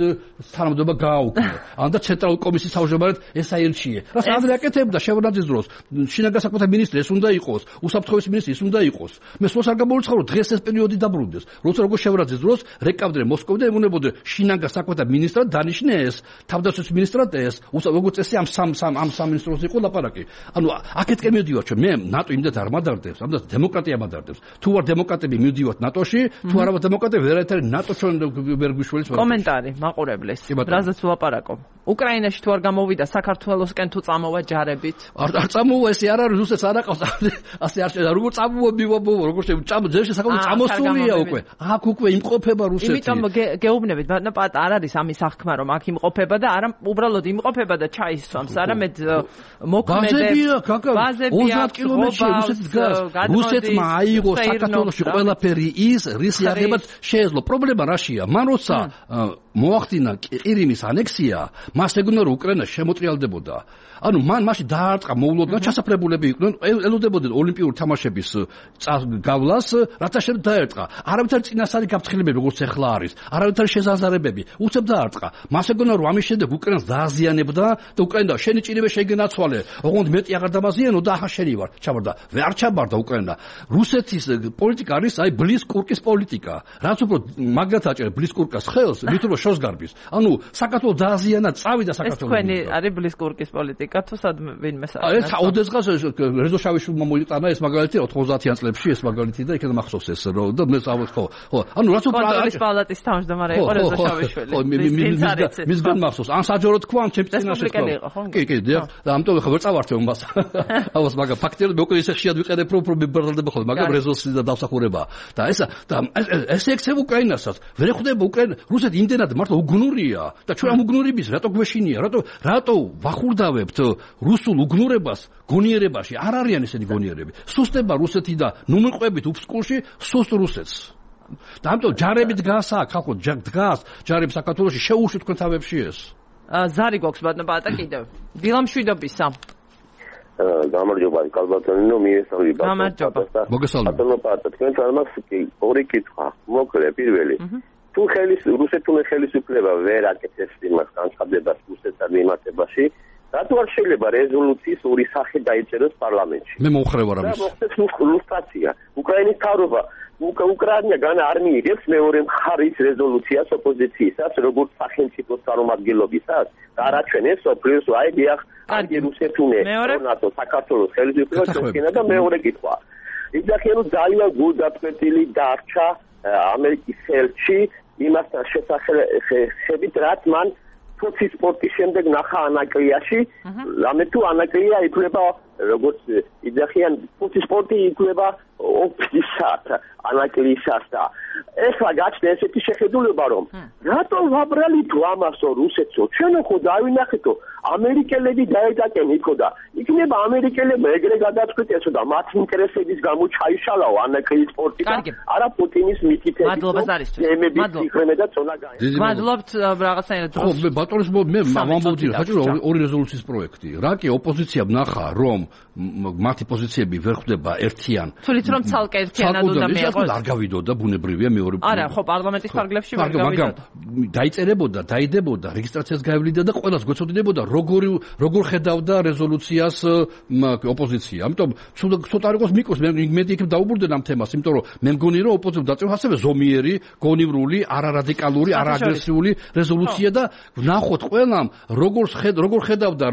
თანამდებობა გააუქმე ან და ცენტრალური კომისიის თავმჯდომარედ ეს აირჩიე რა სადღაც აკეთებდა შევნაძის დროს შინაგან საქმეთა მინისტრი ეს უნდა იყოს უსაფრთხოების მინისტრი ეს უნდა იყოს მე სულს არ გამოვიწყო რომ დღეს ეს პერიოდი დაბრუნდეს როცა როგორ შევნაძის დროს რეკავდნენ მოსკოვიდან ემუნებოდნენ შინაგან საქმეთა მინისტრად დანიშნეს თავდაცვის მინისტრად ეს როგორც წესი ამ სამ მინისტროს იყო ლაპარაკი ანუ აქეთკენ მივდივარ მე ნატო იმდენად არ მადარდებს, ამდენ დემოკრატია მადარდებს. თუ ვარ დემოკრატები მივდივართ ნატოში, თუ არა ვარ დემოკრატები ვერაერთი ნატო ჩვენ ვერ გვიშველის. კომენტარი მაყურებლის. რაზეც ვლაპარაკობ. უკრაინაში თუ არ გამოვიდა საქართველოსკენ თუ წამოვა ჯარებით? არ წამოვა ესე არ არის რუსეთს არ აყავს. ასე არ შეიძლება. როგორ წამოვა მივაბოვა, როგორ შეიძლება ძერში საკუთარ წამოსულია უკვე. აქ უკვე იმყოფება რუსეთი. იმიტომ გეუბნებით, ბატონო პატ არ არის ამის აღქმა რომ აქ იმყოფება და არა უბრალოდ იმყოფება და ჩაისვამს, არამედ მოქმედებს. ბაზებია 20 კილომეტრში რუსეთს დგას. რუსეთმა აიღო საქართველოში ყველაფერი ის, რის იარაღებად შეეძლო. პრობლემა რაშია? მან როცა მოახდინა ყირიმის ანექსია, მას ეგონა რომ უკრაინა შემოტრიალდებოდა. ანუ მან მაშინ დაარტყა მოულოდნელად ჩასაფრებულები იყვნენ, ელოდებოდნენ ოლიმპიური თამაშების გავლას, რათა შემდეგ დაარტყა. არავითარი წინასწარი გაფრთხილებები როგორც ახლა არის, არავითარი შეზაზარებები, უცებ დაარტყა. მას ეგონა რომ ამის შემდეგ უკრაინას დააზიანებდა და უკრაინა შენი ჭირება შეგენაცვალე. ოღონდ მეტი აღარ დამაზიანო და ახლა შენი ვარ. ჩაბარდა. ვერ ჩაბარდა უკრაინა. რუსეთის პოლიტიკა არის აი ბლისკურკის პოლიტიკა. რაც უფრო მაგრად აჭერებს ბლისკურკას ხელს, მით რომ შორს გარბის. ანუ საქართველოს დააზიანა, წავიდა საქართველოს. ეს თქვენი არის ბლისკურკის პოლიტიკა თუ სადმე ვინმე საქმე. ეს ოდესღაც რეზო შავიშვილმა მოიტანა ეს მაგალითი 90-იან წლებში ეს მაგალითი და იქნება მახსოვს ეს რომ და მე წავით ხო. ანუ რაც კონტროლის პალატის თავმჯდომარე იყო რეზო შავიშვილი. მისგან მახსოვს. ან საჯარო თქვა, ან ჩემპიონატში თქვა. კი, და ამიტომ ხო ვერ წავართე უმას. ავას მაგა ფაქტია მე უკვე ისე ხშირად ვიყენებ რომ პრობლემები ხოლმე, მაგრამ რეზოლუცია და დავსახურება. და ეს ექცევ უკრაინასაც. ვერ ხვდება უკრაინა, რუსეთი იმდენად მართლა უგნურია და ჩვენ ამ უგნურების რატო გვეშინია? რატო ვახურდავებთ რუსულ უგნურებას გონიერებაში? არ არიან ესენი გონიერები. სუსტება რუსეთი და ნუ მიყვებით უფსკულში სუსტ რუსეთს. და ამიტომ ჯარები დგას აქ, ხალხო დგას ჯარები საქართველოში შეუშვით თქვენ თავებში ეს. ზარი გვაქვს ბატონო პატა კიდევ. დილამშვიდობისა. გამარჯობა კალბატონინო მიესწრები გამარჯობა მოგესალმებით პატა თქვენ თამას ორი კითხვა მოკლე პირველი თუ რუსეთული ხელისუფლება ვერ აკეთებს იმას განცხადებას რუსეთთან მიმართებაში რატო არ შეიძლება რეზოლუციის ორი სახე დაიწეროს პარლამენტში მე მომხრევარ ამის და მოხდეს ლუსტრაცია უკრაინის თავრობა უკრაინა განა არ მიიღებს მეორე მხარის რეზოლუციას ოპოზიციისას როგორც სახელმწიფოს წარმომადგენლობისას და არაჩვენებს სოფლიოს აი დიახ კარგი რუსეთუნე ნატო საქართველოს ხელისუფლება შექმნა და მეორე კითხვა იძახიანო ძალიან გულდაწყვეტილი დარჩა ამერიკის ხელში იმასთან შესახებით რაც მან თუთი სპორტის შემდეგ ნახა ანაკლიაში რამე თუ ანაკლია ითვლება როგორც იძახიან თუთი სპორტი ითვლება ოფისად ანაკლისას და ეხლა გაჩნდა ესეთი შეხედულება რომ რატო ვაბრალით ამასო რუსეთსო ჩვენო ხო დავინახეთო ამერიკელები დაედაკენ იქო და იქნება ამერიკელებმა ეგრე გადაწყვეტიესო და მათ ინტერესების გამო ჩაიშალაო ანაკლის სპორტი და არა პუტინის მითითებით მადლობა ზარისთვის მადლობა და წონა გაი მადლობთ რაღაცნაირად ხო მე ბატონის მე ვამბობდი საჭირო ორი რეზოლუციის პროექტი რა კი ოპოზიციამ ნახა რომ მათი პოზიციები ვერ ხვდება ერთიან თulit რომ ცალკე ერთიანად უნდა მიიღოს არ გავიდოდა ბუნებრივია მეორე არა ხო პარლამენტის ფარგლებში ვერ გავიდოდა დაიწერებოდა დაიდებოდა რეგისტრაციას გაევლიდა და ყველას გვეცოდინებოდა როგორ ხედავდა რეზოლუციას ოპოზიცია. ამიტომ ცოტა არ იყოს მიკოს მე იქ დაუბრუნდნენ ამ თემას, იმიტომ რომ მე მგონი რომ ოპოზიცია დაწევს ასევე ზომიერი, გონივრული, არარადიკალური, არააგრესიული რეზოლუცია და ვნახოთ ყველამ როგორ ხედავდა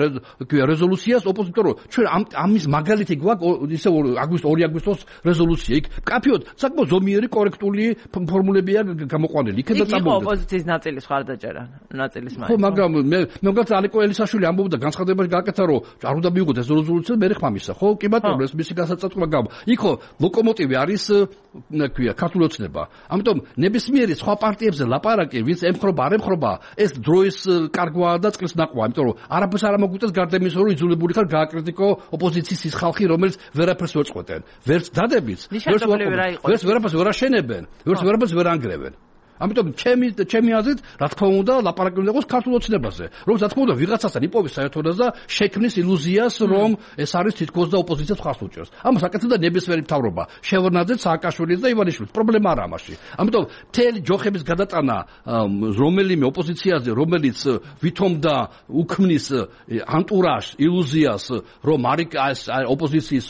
რეზოლუციას ოპოზიცია, რომ ჩვენ ამის მაგალითი გვაქვს ისე აგვისტოს 2 აგვისტოს რეზოლუცია. იქ კაფიოდ საკმაოდ ზომიერი კორექტული ფორმულებია გამოყვანილი. იქ და წამოვიდა. ოპოზიციის ნაწილის ხარდაჭერა, ნაწილის მაინც. ხო, მაგრამ მე მგონი ალიკო ელიაშვილი ამბობდა განცხადებაში გააკეთა რომ არ უნდა მიიღოთ ეს რეზოლუცია მე ხმამისა ხო კი ბატონო ეს მისი გასაწყვეტა გამო იქო ლოკომოტივი არის ქვია ქართული ოცნება ამიტომ ნებისმიერი სხვა პარტიებზე ლაპარაკი ვინც ემხრობა არ ემხრობა ეს დროის კარგვაა და წყლის ნაყვა ამიტომ რომ არაფერს არ ამოგვიწევს გარდა იმისა რომ იძულებული ხარ გააკრიტიკო ოპოზიციის ის ხალხი რომელიც ვერაფერს ვერ წყვეტენ ვერც დადებიც ვერც ვერაფერს ვერ აშენებენ ვერც ვერაფერს ვერ ანგრევენ ამიტომ ჩემი აზრით რა თქმა უნდა ლაპარაკი უნდა იყოს ქართულ ოცნებაზე რომ რა თქმა უნდა ვიღაცასთან იპოვის საერთოდაც და შექმნის ილუზიას რომ ეს არის თითქოს და ოპოზიციას ხარს უჭერს ამას აკეთებდა ნებისმიერი მთავრობა შევრნაძე სააკაშვილის და ივანიშვილის პრობლემა არა ამაში ამიტომ მთელი ჯოხების გადატანა რომელიმე ოპოზიციაზე რომელიც ვითომდა უქმნის ანტურაჟს ილუზიას რომ არის ოპოზიციის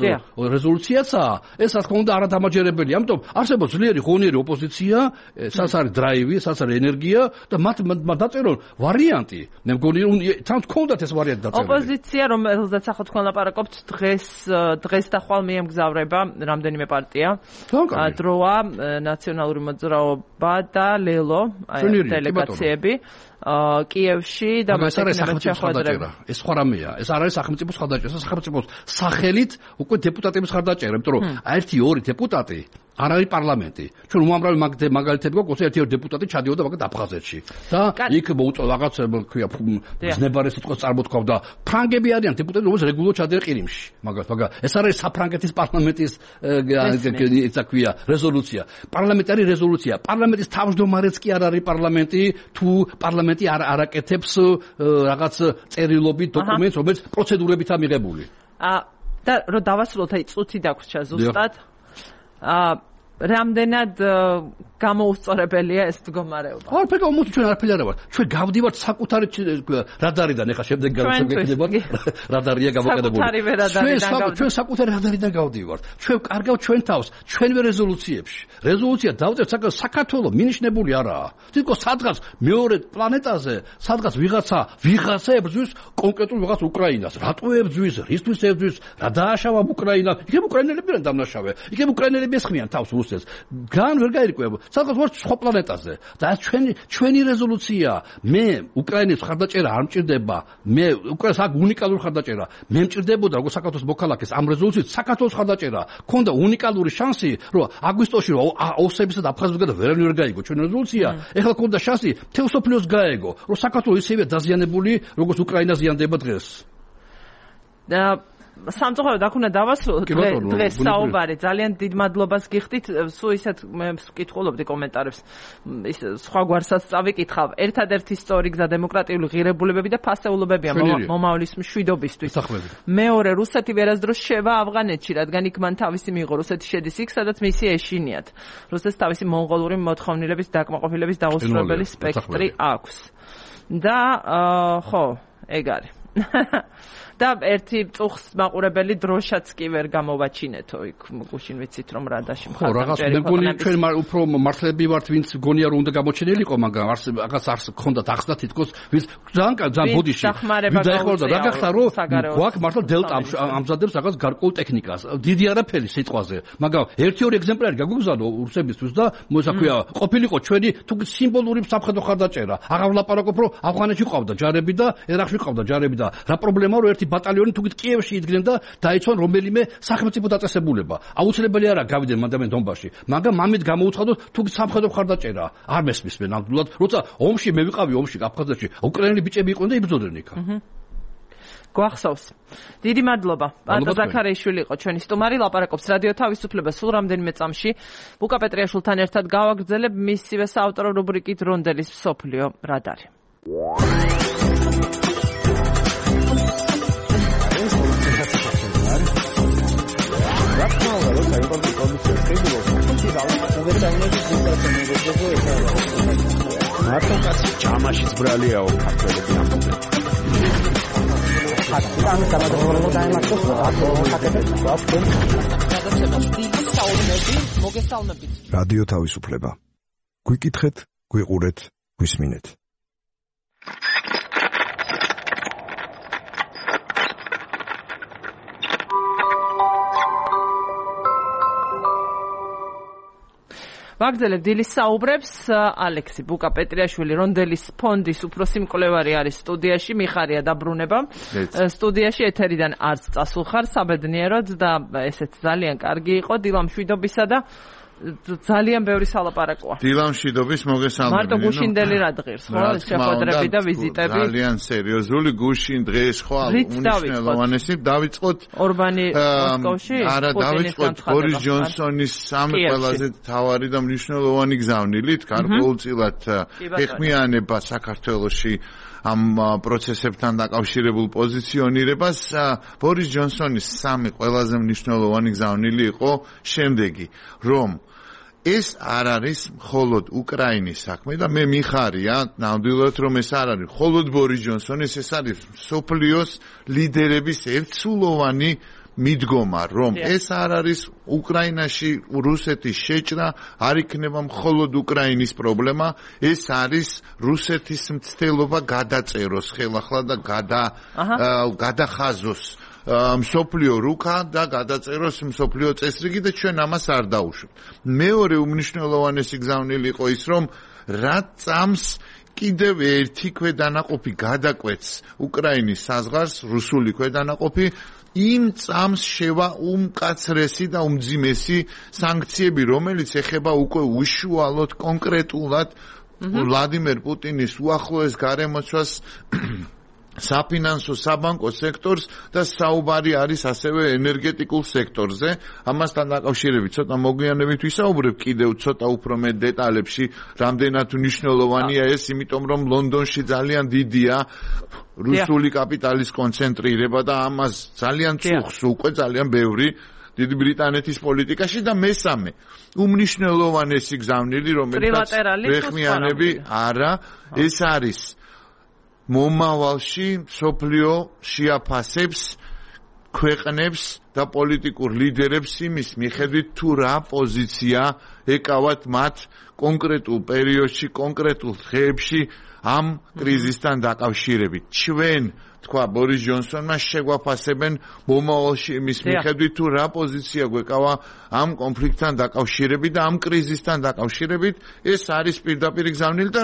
რეზოლუციაცაა ეს რა თქმა უნდა არადამაჯერებელი ამიტომ არსებობს ძლიერი ღონიერი ოპოზიცია საერთოდ დრაივი, საერთოდ ენერგია და მათ დაწერონ ვარიანტი. მე მგონი რომ თან თქონდათ ეს ვარიანტი დაწერილი. ოპოზიცია რომელზეც ახლა თქვენ ლაპარაკობთ დღეს და ხვალ მიემგზავრება რამდენიმე პარტია. დროა, ნაციონალური მოძრაობა და ლელო დელეგაციები. კიევში და მასაკენებად შეხვედრება. ეს სხვა რამეა. ეს არ არის სახელმწიფოს ხარდაჭერა, ეს სახელმწიფოს სახელით უკვე დეპუტატების ხარდაჭერა, იმიტომ რომ 1-2 დეპუტატი არ არის პარლამენტი. ჩვენ უამრავი მაგალითები გვაქვს, ერთი დეპუტატი ჩადიოდა მაგათ აფხაზეთში. და იქ მოუწვა რაღაც ქვია ზნებარე სიტყვას წარმოთქვავდა. ფრანგები არიან დეპუტატები, რომელიც რეგულარულად ჩადიან ყირიმში. მაგრამ ეს არის საფრანგეთის პარლამენტის ისა ქვია რეზოლუცია. პარლამენტარი რეზოლუცია. პარლამენტის თავმჯდომარეც კი არ არის პარლამენტი, თუ პარლამენტი არ აკეთებს რაღაც წერილობით დოკუმენტს, რომელიც პროცედურებითაა მიღებული. და რომ დავასრულოთ, აი წუთი დაგვრჩა ზუსტად. რამდენად გამოუსწორებელია ეს მდგომარეობა. არაფერი მოდი ჩვენ არაფერი არ ვარ. ჩვენ გავდივართ საკუთარი რადარიდან, ეხლა შემდეგ გავცნობთ რადარია გამოკიდებული. ჩვენ საკუთარი რადარიდან გავდივართ. ჩვენ კარგავთ ჩვენ თავს, ჩვენვე რეზოლუციებში. რეზოლუცია დავწერთ საქართველოს მინიშნებული არაა. თითქოს სადღაც მეორე პლანეტაზე, სადღაც ვიღაცა ებრძვის კონკრეტულ ვიღაც უკრაინას. რატო ებრძვის? რისთვის ებრძვის? რა დააშავა უკრაინა? იქ უკრაინელები არ დამნაშავე. იქ უკრაინელები ესხმიან თავს რუსეთს. გან ვერ გაირკვევა. სადღაც ვარ სხვა პლანეტაზე. და ჩვენი რეზოლუცია. მე უკრაინის ხარდაჭერა არ მჭირდება. მე უკრაინას აქ უნიკალური ხარდაჭერა. მე მჭირდებოდა როგორც საქართველოს მოქალაქეს ამ რეზოლუციით საქართველოს ხარდაჭერა. ქონდა უნიკალური შანსი, რომ აგვისტოში ოსებისა და აფხაზებსგან ვერანი ვერ გაიგო ჩვენ რეზოლუცია. ეხლა ქონდა შანსი მთელ სოფლიოს გაეგო, რომ საქართველოს ისევე დაზიანებული, როგორც უკრაინა ზიანდება დღეს. და სამწუხაროდ აქ უნდა დავასრულოთ დღეს საუბარი. ძალიან დიდ მადლობას გიხდით. სულ ისეთ მე ვკითხულობდი კომენტარებს. ის სხვა გვარსაც წავიკითხავ. ერთადერთი სწორი გზა დემოკრატიული ღირებულებები და ფასეულობებია მომავლის მშვიდობისთვის. მეორე, რუსეთი ვერასდროს შევა ავღანეთში, რადგან იქ მან თავისი მიიღო. რუსეთი შედის იქ, სადაც მისი ეშინიათ. რუსეთს თავისი მონღოლური მოთხოვნილების დაკმაყოფილების დაუსრულებელი სპექტრი აქვს. და ხო, ეგ არის. და ერთი წუხს მაყურებელი დროშაც კი ვერ გამოვაჩინეთო იქ გუშინ ვიცით რომ რადაში ხო რაღაც მე მგონი ჩვენ უფრო მართლები ვართ ვინც გონია რომ უნდა გამოჩენილიყო მაგრამ რაღაც არს გქონდათ ახსნა თითქოს ვინც ძალიან ბოდიში დაიხმარდა რა გახდა რომ გვაქვს მართლა დელტა ამზადებს რაღაც გარკვეულ ტექნიკას დიდი არაფერი სიტყვაზე მაგრამ ერთი-ორი ეგზემპლარი გაგვიგზავნო რუსებისთვის და მოსაქვია ყოფილიყო ჩვენი თუ სიმბოლური სამხედრო ხარდაჭერა აღარ ვლაპარაკობ რომ ავღანეთში ყავდა ჯარები და ერაყში ყავდა ჯარები და რა პრობლემაა რომ ერთი ბატალიონი თუ კიევში იდგნენ და დაიცვან რომელიმე სახელმწიფო დაწესებულება. აუცილებელი არა გავიდნენ მანდამენ დონბასში. მაგრამ მამით გამოუცხადოთ თუ სამხედრო ხარდაჭერა. არ მესმის მე ნამდვილად, როცა ომში მე ვიყავი ომში აფხაზეთში, უკრაინელი ბიჭები იყვნენ და იბრძოდნენ იქ. გვახსოვს. დიდი მადლობა. პატო ზაქარიაშვილი იყო ჩვენი სტუმარი, ლაპარაკობს რადიო თავისუფლება სულ რამდენიმე წამში. ბუკა პეტრიაშვილთან ერთად გავაგრძელებ მისივე საავტორო რუბრიკით რონდელის მსოფლიო რადარი. მარტო კაცი ჯამაშიც ბრალიაო ქართველები ამბობენ. რადიო თავისუფლება. გვიკითხეთ, გვიყურეთ, გვისმინეთ. ვაგრძელებ დილის საუბრებს. ალექსი ბუკა პეტრიაშვილი რონდელის ფონდის უფროსი მკვლევარი არის სტუდიაში. მიხარია დაბრუნება. სტუდიაში ეთერიდან არც წასულხარ საბედნიეროდ და ესეც ძალიან კარგი იყო დილამშვიდობისა და ძალიან ბევრი სალაპარაკოა. დილამშვიდობის მოგესალმებით. მარტო გუშინდელი რა დღეს, ხო? შეხვედრები და ვიზიტები. ძალიან სერიოზული გუშინ დღეს ხო უნიშნელოვანესი დავიწყოთ ორბანი მოსკოვში. არა, დავიწყოთ ბორის ჯონსონის სამი ყველაზე მთავარი და მნიშვნელოვანი გზავნილით, გარკვეულწილად ეხმიანება საქართველოში ამ პროცესებთან დაკავშირებულ პოზიციონირებას. ბორის ჯონსონის სამი ყველაზე მნიშვნელოვანი გზავნილი იყო შემდეგი, რომ ეს არ არის მხოლოდ უკრაინის საქმე და მე მიხარია ნამდვილად რომ ეს არ არის მხოლოდ ბორის ჯონსონის, ეს არის მსოფლიოს ლიდერების ერთსულოვანი მიდგომა, რომ ეს არ არის უკრაინაში რუსეთის შეჭრა, არ იქნება მხოლოდ უკრაინის პრობლემა, ეს არის რუსეთის მცდელობა გადაწეროს ხელახლა და გადახაზოს მსოფლიო რუკა და გადაწეროს მსოფლიო წესრიგი და ჩვენ ამას არ დაუშვით. მეორე უმნიშვნელოვანესი გზავნილი იყო ის, რომ რა წამს კიდევ ერთი ქვედანაყოფი გადაკვეთს უკრაინის საზღვარს, რუსული ქვედანაყოფი, იმ წამს შევა უმკაცრესი და უმძიმესი სანქციები, რომელიც ეხება უკვე უშუალოდ კონკრეტულად ვლადიმერ პუტინის უახლოეს გარემოცვას, საფინანსო საბანკო სექტორს და საუბარი არის ასევე ენერგეტიკულ სექტორზე. ამასთან დაკავშირებით ცოტა მოგვიანებით ვისაუბრებ კიდევ ცოტა უფრო მეტ დეტალებში, რამდენად მნიშვნელოვანია ეს, იმიტომ რომ ლონდონში ძალიან დიდია რუსული კაპიტალის კონცენტრირება და ამას ძალიან წუხს უკვე ძალიან ბევრი დიდი ბრიტანეთის პოლიტიკაში და მესამე უმნიშვნელოვანესი გზავნილი რომელსაც ვეხმიანები არა ეს არის მომავალში სოფლიო შეაფასებს ქვეყნებს და პოლიტიკურ ლიდერებს იმის მიხედვით თუ რა პოზიცია ეკავათ მათ კონკრეტულ პერიოდში კონკრეტულ დღეებში ამ კრიზისთან დაკავშირებით ჩვენ თქვა ბორის ჯონსონმა შეგვაფასებენ მომავალში იმის მიხედვით თუ რა პოზიცია გვეკავა ამ კონფლიქტთან დაკავშირებით და ამ კრიზისთან დაკავშირებით ეს არის პირდაპირ გზავნილი და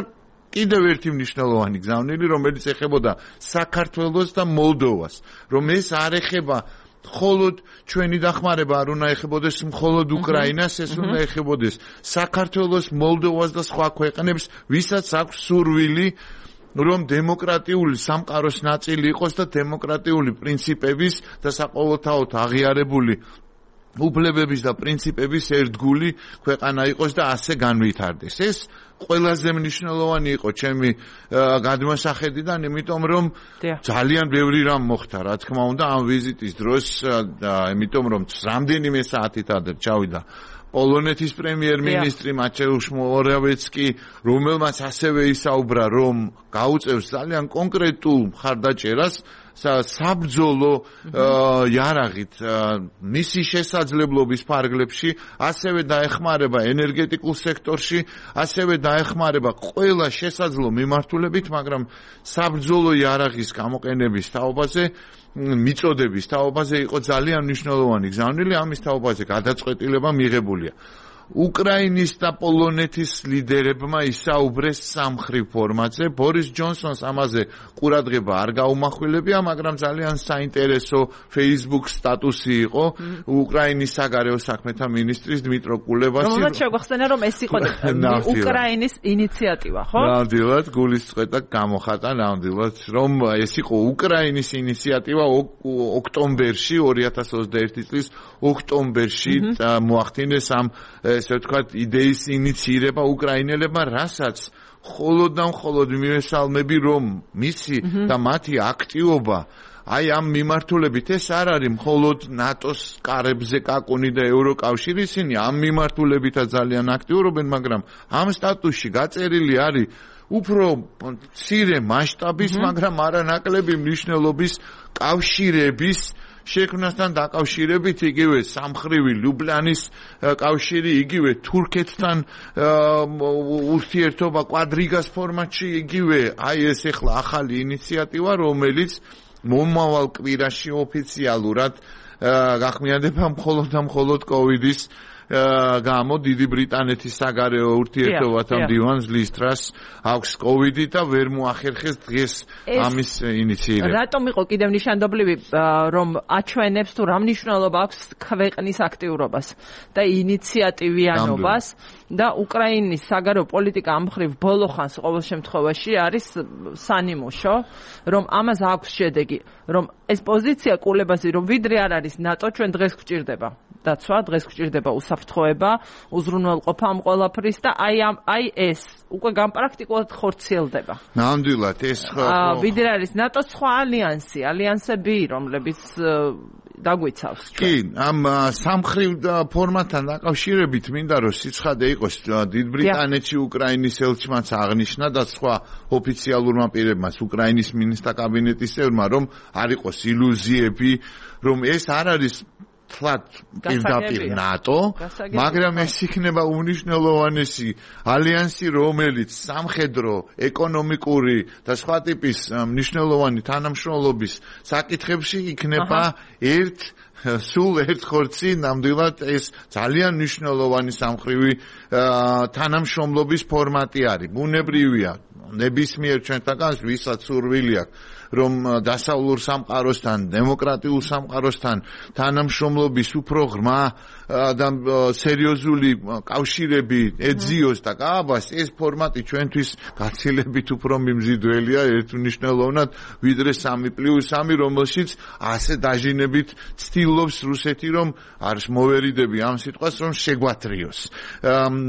კიდევ ერთი მნიშვნელოვანი გზავნილი რომელიც ეხებოდა საქართველოს და მოლდოვას რომ ეს არ ეხება მხოლოდ ჩვენი დახმარება არ უნდა ეხებოდეს მხოლოდ უკრაინას ეს უნდა ეხებოდეს საქართველოს მოლდოვას და სხვა ქვეყნებს ვისაც აქვს სურვილი რომ დემოკრატიული სამყაროს ნაწილი იყოს და დემოკრატიული პრინციპების და საყოველთაოდ აღიარებული უფლებების და პრინციპების ერთგული ქვეყანა იყოს და ასე განვითარდეს ეს ყველაზე მნიშვნელოვანი იყო ჩემი გადმოსახედიდან იმიტომ რომ ძალიან ბევრი რამ მოხდა რა თქმა უნდა ამ ვიზიტის დროს და იმიტომ რომ რამდენიმე საათით ადრე ჩავიდა პოლონეთის პრემიერ-მინისტრი მატეუშ მორავეცკი რომელმაც ასევე ისაუბრა რომ გაუწევს ძალიან კონკრეტულ მხარდაჭერას საბრძოლო იარაღით მისი შესაძლებლობის ფარგლებში ასევე დაეხმარება ენერგეტიკულ სექტორში ასევე დაეხმარება ყველა შესაძლო მიმართულებით მაგრამ საბრძოლო იარაღის გამოყენების თაობაზე მიწოდების თაობაზე იყო ძალიან მნიშვნელოვანი გზავნილი ამის თაობაზე გადაწყვეტილება მიღებულია უკრაინის და პოლონეთის ლიდერებმა ისაუბრეს სამხრივ ფორმატზე ბორის ჯონსონს ამაზე ყურადღება არ გაუმახვილებია მაგრამ ძალიან საინტერესო Facebook სტატუსი იყო უკრაინის საგარეო საქმეთა მინისტრის დმიტრო კულევასი რომელმაც შეგვახსენა რომ ეს იყო უკრაინის ინიციატივა ხო? ნამდვილად გულისწყეთა გამოხატა ნამდვილად რომ ეს იყო უკრაინის ინიციატივა ოქტომბერში 2021 წლის ოქტომბერში მოახდინეს ამ ესე ვთქვათ იდეის ინიცირება უკრაინელებმა რასაც მხოლოდ და მხოლოდ მიესალმები რომ მისი და მათი აქტივობა აი ამ მიმართულებით ეს არ არის მხოლოდ ნატოს კარებზე კაკუნი და ევროკავშირი ისინი ამ მიმართულებითაც ძალიან აქტიურობენ მაგრამ ამ სტატუსში გაწერილი არის უფრო მცირე მასშტაბის მაგრამ არანაკლები მნიშვნელობის კავშირების შექმნასთან დაკავშირებით იგივე სამხრივი ლუბლანის კავშირი იგივე თურქეთთან ურთიერთობა კვადრიგას ფორმატში იგივე აი ეს ახლა ახალი ინიციატივა რომელიც მომავალ კვირაში ოფიციალურად გახმიანდება მხოლოდ და მხოლოდ კოვიდის გამო დიდი ბრიტანეთის საგარეო ურთიერთობათა მდივანს ლისტრას აქვს კოვიდი და ვერ მოახერხეს დღეს ამის ინიციირება. რატომ იყო კიდევ ნიშანდობლივი რომ აჩვენებს თუ რა მნიშვნელობა აქვს ქვეყნის აქტიურობას და ინიციატივიანობას და უკრაინის საგარეო პოლიტიკა ამ მხრივ ბოლო ხანს ყოველ შემთხვევაში არის სანიმუშო რომ ამას აქვს შედეგი რომ ეს პოზიცია კულებაზე რომ ვიდრე არ არის ნატო ჩვენ დღეს გვჭირდება დაცვა დღეს გვჭირდება უსაფრთხოება უზრუნველყოფა ამ ყველაფრის და აი ეს უკვე განპრაქტიკულად ხორციელდება ნამდვილად ეს ვიდრე არის ნატოს სხვა ალიანსები რომლებიც დაგვიცავს კი ამ სამხრივ ფორმატთან დაკავშირებით მინდა რომ სიცხადე იყოს დიდ ბრიტანეთში უკრაინის ელჩმაც აღნიშნა და სხვა ოფიციალურმა პირებმაც უკრაინის მინისტრთა კაბინეტის წევრმა რომ არ იყოს ილუზიები რომ ეს არ არის თლად პირდაპირ ნატო, მაგრამ ეს იქნება უნიშნელოვანესი ალიანსი, რომელიც სამხედრო, ეკონომიკური და სხვა ტიპის მნიშვნელოვანი თანამშრომლობის საკითხებში იქნება სულ ერთ ხორცი, ნამდვილად ეს ძალიან მნიშვნელოვანი სამხრივი თანამშრომლობის ფორმატი არის. ბუნებრივია, ნებისმიერ ჩვენთაგანს ვისაც სურვილი აქვს რომ დასავლურ სამყაროსთან, დემოკრატიულ სამყაროსთან თანამშრომლობის უფრო ღრმა და სერიოზული კავშირები ეძიოს და გააბას, ეს ფორმატი ჩვენთვის გაცილებით უფრო მიმზიდველია ერთმნიშვნელოვნად ვიდრე 3+3, რომელშიც ასე დაჟინებით ცდილობს რუსეთი რომ არის მოვერიდები ამ სიტყვას რომ შეგვათრიოს.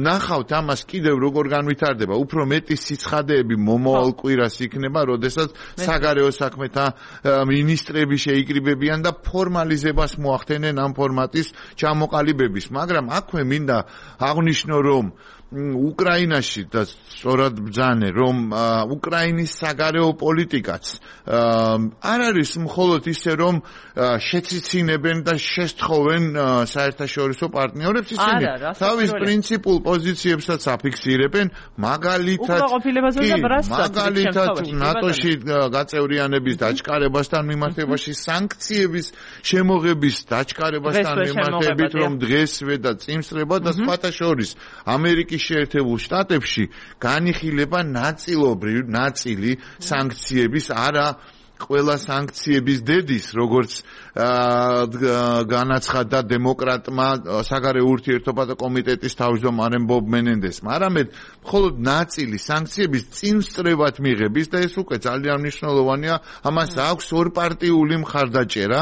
ნახავთ ამას კიდევ როგორ განვითარდება, უფრო მეტი სიცხადეები მომავალ კვირას იქნება, როდესაც საგარეო საქმეთა მინისტრები შეიკრიბებიან და ფორმალიზებას მოახდენენ ამ ფორმატის ჩამოყალიბების, მაგრამ აქვე მინდა აღნიშნო, რომ უკრაინაში და სწორად ბრძანე, რომ უკრაინის საგარეო პოლიტიკაც არ არის მხოლოდ ისე, რომ შეციცინებენ და შესთხოვენ საერთაშორისო პარტნიორებს, ისინი თავის პრინციპულ პოზიციებსაც აფიქსირებენ, მაგალითად ნატოში გაწევრიანების დაჩქარებასთან მიმართებაში, სანქციების შემოღების დაჩქარებასთან მიმართებით, რომ დღესვე და წინსწრება და სხვათა შორის ამერიკის შეერთებულ შტატებში განიხილება ნაწილი სანქციების, არა ყველა სანქციების დედის, როგორც განაცხადა დემოკრატმა საგარეო ურთიერთობათა კომიტეტის თავმჯდომარემ ბობ მენენდესმა, არამედ მხოლოდ ნაწილი სანქციების წინსწრებად მიღების და ეს უკვე ძალიან მნიშვნელოვანია, ამას აქვს ორპარტიული მხარდაჭერა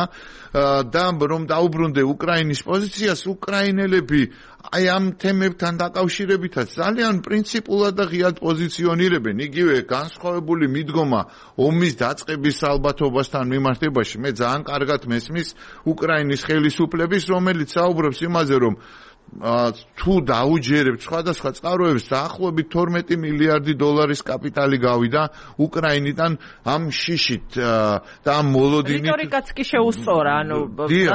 და რომ დაუბრუნდე უკრაინის პოზიციას, უკრაინელები აი ამ თემებთან დაკავშირებითაც ძალიან პრინციპულად და ღიად პოზიციონირებენ, იგივე განსხვავებული მიდგომა ომის დაწყების ალბათობასთან მიმართებაში. მე ძალიან კარგად მესმის უკრაინის ხელისუფლების, რომელიც საუბრობს იმაზე, რომ თუ დაუჯერებთ სხვადასხვა წყაროებს, დაახლოებით 12 მილიარდი დოლარის კაპიტალი გავიდა უკრაინიდან ამ შიშით და ამ მოლოდინით. რიტორიკაც კი შეუსწორა, ანუ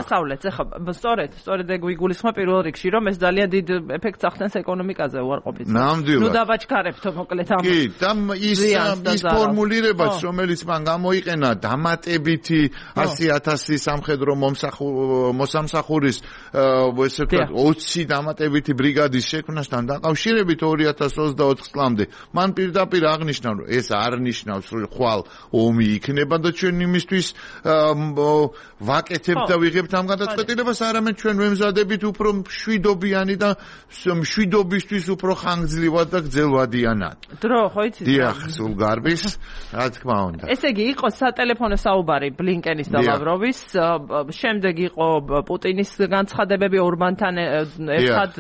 დასავლეთს ახლა სწორედ ეგ ვიგულისხმა პირველ რიგში, რომ ეს ძალიან დიდ ეფექტს ახდენს ეკონომიკაზე უარყოფით. ნამდვილად. დავაჩქარებთო მოკლედ ამ. კი, და ის ფორმულირებაც, რომელიც მან გამოიყენა, დამატებითი 100,000 სამხედრო მოსამსახურის ესე ვთქვათ 20 დამატებითი ბრიგადის შექმნასთან დაკავშირებით 2024 წლამდე, მან პირდაპირ აღნიშნა, რომ ეს არ ნიშნავს, რომ ხვალ ომი იქნება და ჩვენ იმისთვის ვაკეთებთ და ვიღებთ ამ გადაწყვეტილებას, არამედ ჩვენ ვემზადებით უფრო მშვიდობიანი და მშვიდობისთვის უფრო ხანგრძლივად და გრძელვადიანად. დრო ხო იცით? დიახ, სულ გარბის, რა თქმა უნდა. ესე იგი, იყო სატელეფონო საუბარი ბლინკენის და ლავროვის, შემდეგ იყო პუტინის განცხადებები ორბანთან ერთად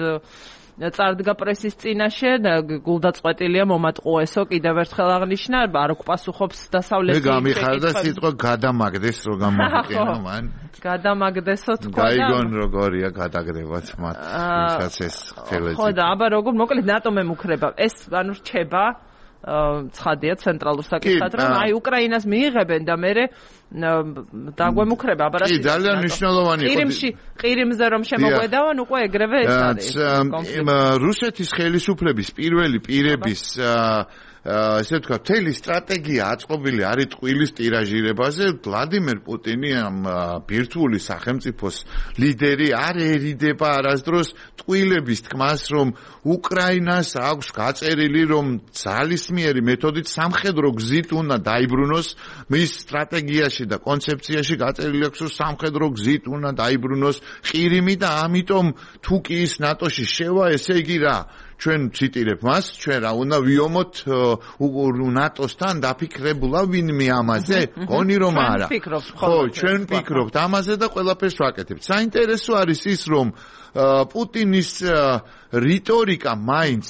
წარდგა პრესის წინაშე, გულდაწყვეტილია მომატყუესო, კიდევ ერთხელ აღნიშნა, არ გვპასუხობს დასავლეთის მე გამიხარდა სიტყვა გადამაგდეს, რო გამოგიყენო მან. გადამაგდესო თქვა და გაიგონ როგორია გადაგდებაც მათ, ვისაც ეს ხელეზე. ხო და აბა როგორ მოკლედ ნატომ ემუქრება. ეს ანუ რჩება ცხადია ცენტრალურ საკითხად, რომ აი უკრაინას მიიღებენ და მე დაგვემუქრება, აბა რა. კი, ძალიან მნიშვნელოვანია. ყირიმზე რომ შემოგვედავან, უკვე ეგრევე ეს არის. რუსეთის ხელისუფლების პირველი პირების ესე ვთქვათ, მთელი სტრატეგია აწყობილი არის ტყუილის ტირაჟირებაზე. ვლადიმერ პუტინი, ამ ბირთვული სახელმწიფოს ლიდერი, არ ერიდება არასდროს ტყუილების თქმას, რომ უკრაინას აქვს გაწერილი, რომ ძალისმიერი მეთოდით სამხედრო გზით უნდა დაიბრუნოს, მის სტრატეგიაში და კონცეფციაში გაწერილი აქვს, რომ სამხედრო გზით უნდა დაიბრუნოს ყირიმი და ამიტომ თუ კი ის ნატოში შევა, ესე იგი რა, ჩვენ ციტირებ მას, ჩვენ რა უნდა ვიომოთ ნატოსთან დაფიქრებულა ვინმე ამაზე? გონი რომ არა. ხო, ჩვენ ვფიქრობთ ამაზე და ყველაფერს ვაკეთებთ. საინტერესო არის ის, რომ პუტინის რიტორიკა მაინც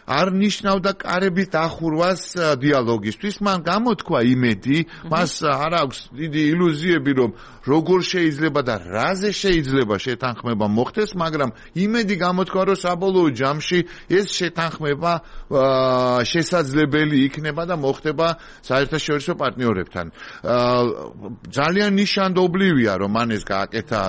არ ნიშნავდა კარების დახურვას დიალოგისთვის. მან გამოთქვა იმედი, მას არ აქვს დიდი ილუზიები, რომ როგორ შეიძლება და რაზე შეიძლება შეთანხმება მოხდეს, მაგრამ იმედი გამოთქვა, რომ საბოლოო ჯამში ეს შეთანხმება შესაძლებელი იქნება და მოხდება საერთაშორისო პარტნიორებთან. ძალიან ნიშანდობლივია, რომ მან ეს გააკეთა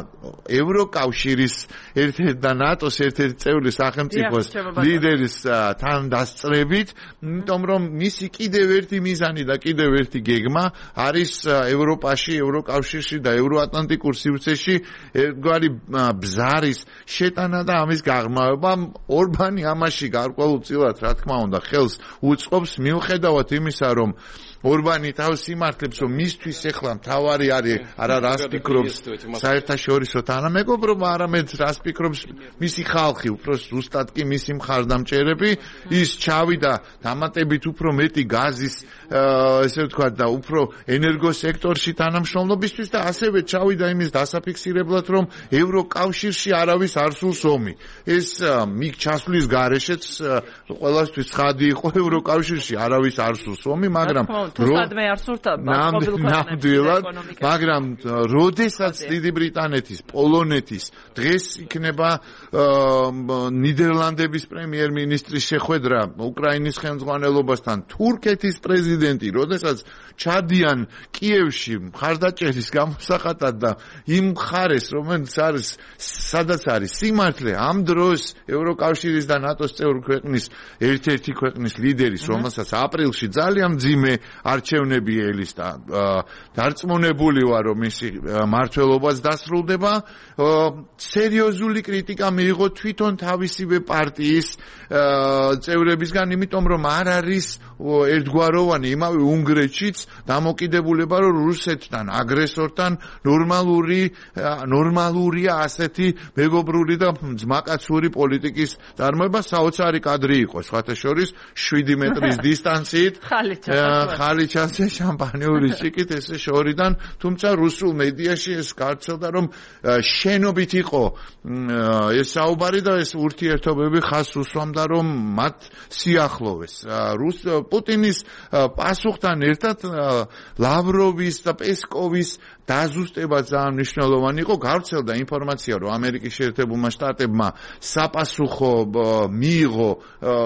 ევროკავშირის ერთ-ერთი და ნატოს ერთ-ერთი წევრი სახელმწიფოს ლიდერის თან დასწრებით, იმიტომ რომ მისი კიდევ ერთი მიზანი და კიდევ ერთი გეგმა არის ევროპაში, ევროკავშირში და ევროატლანტიკურ სივრცეში ერთგვარი ბზარის შეტანა და ამის გაღრმავება. ორბანი ამაში გარკვეულწილად, რა თქმა უნდა, ხელს უწყობს, მიუხედავად იმისა, რომ ორბანი თავს იმართლებს, რომ მისთვის ახლა მთავარი არის არა რას ფიქრობს საერთაშორისო თანამეგობრობა, არამედ რას ფიქრობს მისი ხალხი, უფრო ზუსტად კი მისი მხარდამჭერები. ის ჩავიდა დამატებით უფრო მეტი გაზის, ესე ვთქვათ, და უფრო ენერგოსექტორში თანამშრომლობისთვის და ასევე ჩავიდა იმის დასაფიქსირებლად, რომ ევროკავშირში არავის არ სურს ომი. ეს მიგ ჩასვლის გარეშეც ყველასთვის ცხადი იყო, ევროკავშირში არავის არ სურს ომი, მაგრამ თუსადმე არ სურთ ნამდვილად, მაგრამ როდესაც დიდი ბრიტანეთის, პოლონეთის დღეს იქნება ნიდერლანდების პრემიერ-მინისტრის შეხვედრა უკრაინის ხელმძღვანელობასთან, თურქეთის პრეზიდენტი, როდესაც ჩადიან კიევში მხარდაჭერის გამოსახატად და იმ მხარეს, რომელიც არის, სადაც არის სიმართლე, ამ დროს ევროკავშირის და ნატოს წევრ ქვეყნის ერთ-ერთი ქვეყნის ლიდერის, რომელსაც აპრილში ძალიან მძიმე არჩევნები ელის და დარწმუნებული ვარ, რომ მისი მმართველობაც დასრულდება, სერიოზული კრიტიკა მიიღო თვითონ თავისივე პარტიის წევრებისგან, იმიტომ რომ არ არის ერთგვაროვანი იმავე უნგრეთშიც დამოკიდებულება, რომ რუსეთთან, აგრესორთან ნორმალურია ასეთი მეგობრული და ძმაკაცური პოლიტიკის წარმოება, საოცარი კადრი იყო, სხვათა შორის 7 მეტრის დისტანციით ხალიჩასზე შამპანიური შიკით ესე შორიდან, თუმცა რუსულ მედიაში ეს გავრცელდა, რომ შენობით იყო ეს საუბარი და ეს ურთიერთობები ხაზს უსვამდა, რომ მათ სიახლოვეს. პუტინის პასუხთან ერთად ლავროვის და პესკოვის დაზუსტება ძალიან მნიშვნელოვანი იყო. გავრცელდა ინფორმაცია, რომ ამერიკის შეერთებულმა შტატებმა საპასუხო მიიღო,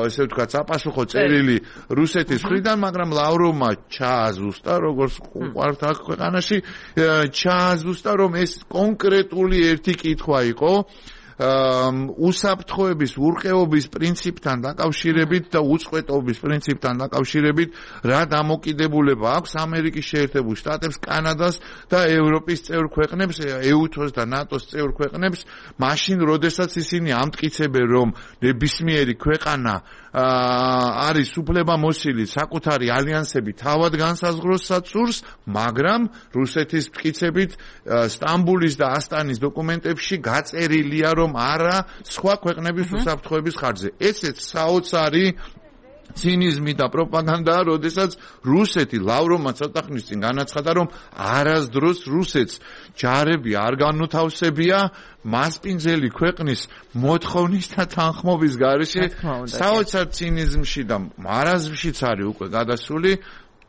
ესე ვთქვათ, საპასუხო წერილი რუსეთის მხრიდან, მაგრამ ლავროვმა ჩააზუსტა, როგორც უყვართ აქ ქვეყანაში, ჩააზუსტა, რომ ეს კონკრეტული ერთი კითხვა იყო უსაფრთხოების, ურყეობის პრინციპთან დაკავშირებით და უწყვეტობის პრინციპთან დაკავშირებით რა დამოკიდებულება აქვს ამერიკის შეერთებულ შტატებს, კანადას და ევროპის წევრ ქვეყნებს, EUTOS და ნატოს წევრ ქვეყნებს, მაშინ, როდესაც ისინი ამტკიცებენ, რომ ნებისმიერი ქვეყანა არის უფლებამოსილი საკუთარი ალიანსები თავად განსაზღვროს სურს, მაგრამ რუსეთის მტკიცებით სტამბულის და ასტანის დოკუმენტებში გაწერილია, რომ არა სხვა ქვეყნების უსაფრთხოების ხარჯზე. ესეც საოცარი ცინიზმი და პროპაგანდაა, როდესაც რუსეთი ლავროვმა ცოტა ხნის წინ განაცხადა, რომ არასდროს რუსეთს ჯარები არ განუთავსებია მასპინძელი ქვეყნის მოთხოვნის და თანხმობის გარეშე. საოცარ ცინიზმში და მარაზმშიც არის უკვე გადასული.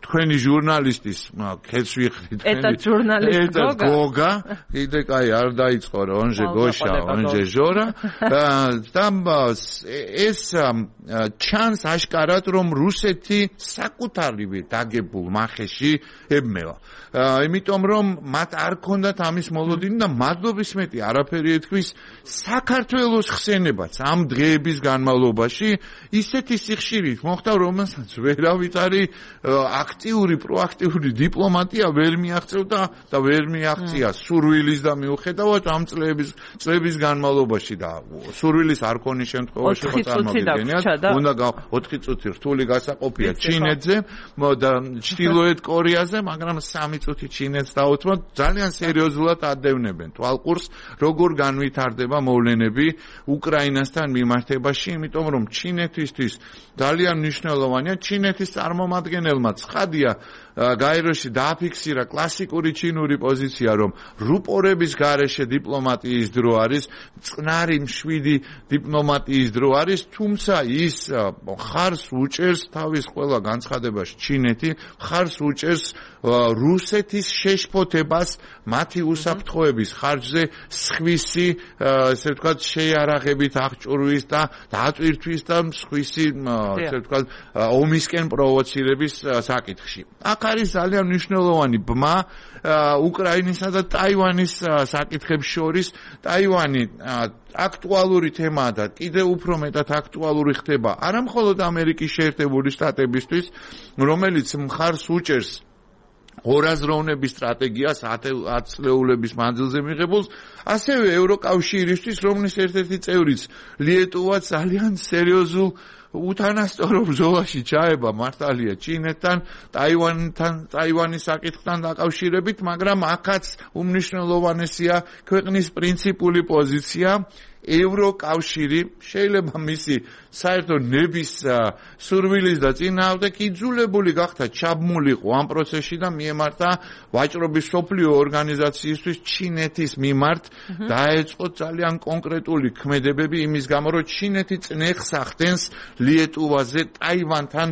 თქვენი ჟურნალისტის ქეთს ვიხდით, ერთად გოგა, კიდე კაი არ დაიწყო რა, onje gosha, onje zhora და ეს ჩანს აშკარად, რომ რუსეთი საკუთარივე დაგებულ მახეში ებმევა. იმიტომ რომ მათ არ ქონდათ ამის მოლოდინი და მადლობის მეტი არაფერი ეთქვის საქართველოს ხსენებაც ამ დღეების განმავლობაში ისეთი სიხშირით მოხდა, რომელსაც ვერავით არის აქტიური, პროაქტიული დიპლომატია ვერ მიაღწევდა და ვერ მიაღწია სურვილის და მიუხედავად ამ წლების განმავლობაში და სურვილის არ ქონის შემთხვევაში ხო წარმოგიდგენიათ, უნდა 4 წუთი რთული გასაყოფია ჩინეთზე და ჩრდილოეთ კორეაზე, მაგრამ 3 წუთი ჩინეთს დაუთმოთ, ძალიან სერიოზულად ადევნებენ თვალყურს, როგორ განვითარდება მოვლენები უკრაინასთან მიმართებაში, იმიტომ რომ ჩინეთისთვის ძალიან მნიშვნელოვანია, ჩინეთის წარმომადგენელმა ცხადია გაეროში დააფიქსირა კლასიკური ჩინური პოზიცია, რომ რუპორების გარეშე დიპლომატიის დრო არის, წყნარი მშვიდი დიპლომატიის დრო არის, თუმცა ის ხარს უჭერს თავის ყველა განცხადებაში ჩინეთი, ხარს უჭერს რუსეთის შეშფოთებას მათი უსაფრთხოების ხარჯზე სხვისი, ესე ვთქვათ, შეიარაღებით აღჭურვის და დატვირთვის და სხვისი, ესე ვთქვათ, ომისკენ პროვოცირების საკითხში. აქ არის ძალიან მნიშვნელოვანი ბმა უკრაინისა და ტაივანის საკითხებს შორის. ტაივანი აქტუალური თემაა და კიდევ უფრო მეტად აქტუალური ხდება არა მხოლოდ ამერიკის შეერთებული შტატებისთვის, რომელიც მხარს უჭერს ორაზროვნების სტრატეგიას 10 წლეულების მანძილზე მიღებულს, ასევე ევროკავშირისთვის, რომლის ერთ-ერთი წევრიც ლიეტუვა ძალიან სერიოზულ უთანასწორო ბრძოლაში ჩაება მართალია ჩინეთთან, ტაივანის საკითხთან დაკავშირებით, მაგრამ აქაც უმნიშვნელოვანესია ქვეყნის პრინციპული პოზიცია. ევროკავშირი შეიძლება მისი საერთო ნების სურვილის და წინააღმდეგ იძულებული გახდა ჩაბმულიყო ამ პროცესში და მიემართა ვაჭრობის სოფლიო ორგანიზაციისთვის ჩინეთის მიმართ დაეწყო ძალიან კონკრეტული ქმედებები იმის გამო რომ ჩინეთი წნეხს ახდენს ლიეტუვაზე ტაივანთან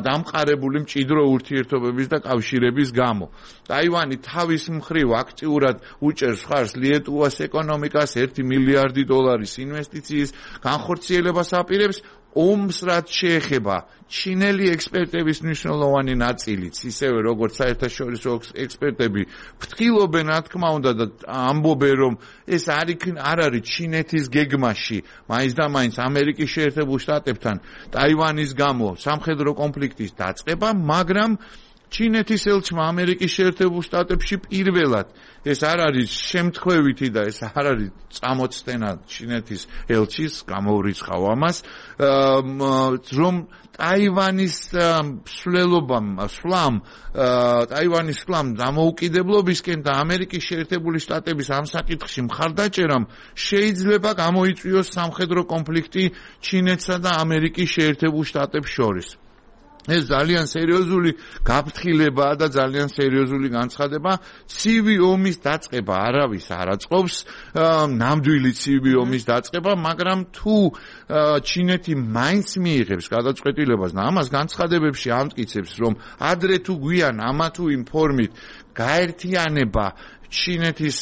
დამყარებული მჭიდრო ურთიერთობების და კავშირების გამო. ტაივანი თავის მხრივ აქტიურად უჭერს ხარს ლიეტუვას ეკონომიკას 1 მილიარდი დოლარის ინვესტიციის განხორციელებას აპირებს ომს რაც შეეხება ჩინელი ექსპერტების მნიშვნელოვანი ნაწილიც ისევე როგორც საერთაშორისო ექსპერტები ფრთხილობენ რა თქმა უნდა და ამბობენ რომ ეს არ არის ჩინეთის გეგმაში მაინც და მაინც ამერიკის შეერთებულ შტატებთან ტაივანის გამო სამხედრო კონფლიქტის დაწყება მაგრამ ჩინეთის ელჩმა ამერიკის შეერთებულ შტატებში პირველად ეს არ არის შემთხვევითი და ეს არ არის წამოწდენა ჩინეთის ელჩის გამოვრიცხავ ამას რომ ტაივანის სვლამ დამოუკიდებლობისკენ და ამერიკის შეერთებული შტატების ამ საკითხში მხარდაჭერამ შეიძლება გამოიწვიოს სამხედრო კონფლიქტი ჩინეთსა და ამერიკის შეერთებულ შტატებს შორის. ეს ძალიან სერიოზული გაფრთხილებაა და ძალიან სერიოზული განცხადება. ცივი ომის დაწყება არავის არ აწყობს, ნამდვილი ცივი ომის დაწყება, მაგრამ თუ ჩინეთი მაინც მიიღებს გადაწყვეტილებას და ამას განცხადებებში ამტკიცებს, რომ ადრე თუ გვიან ამა თუ იმ ფორმით გაერთიანება ჩინეთის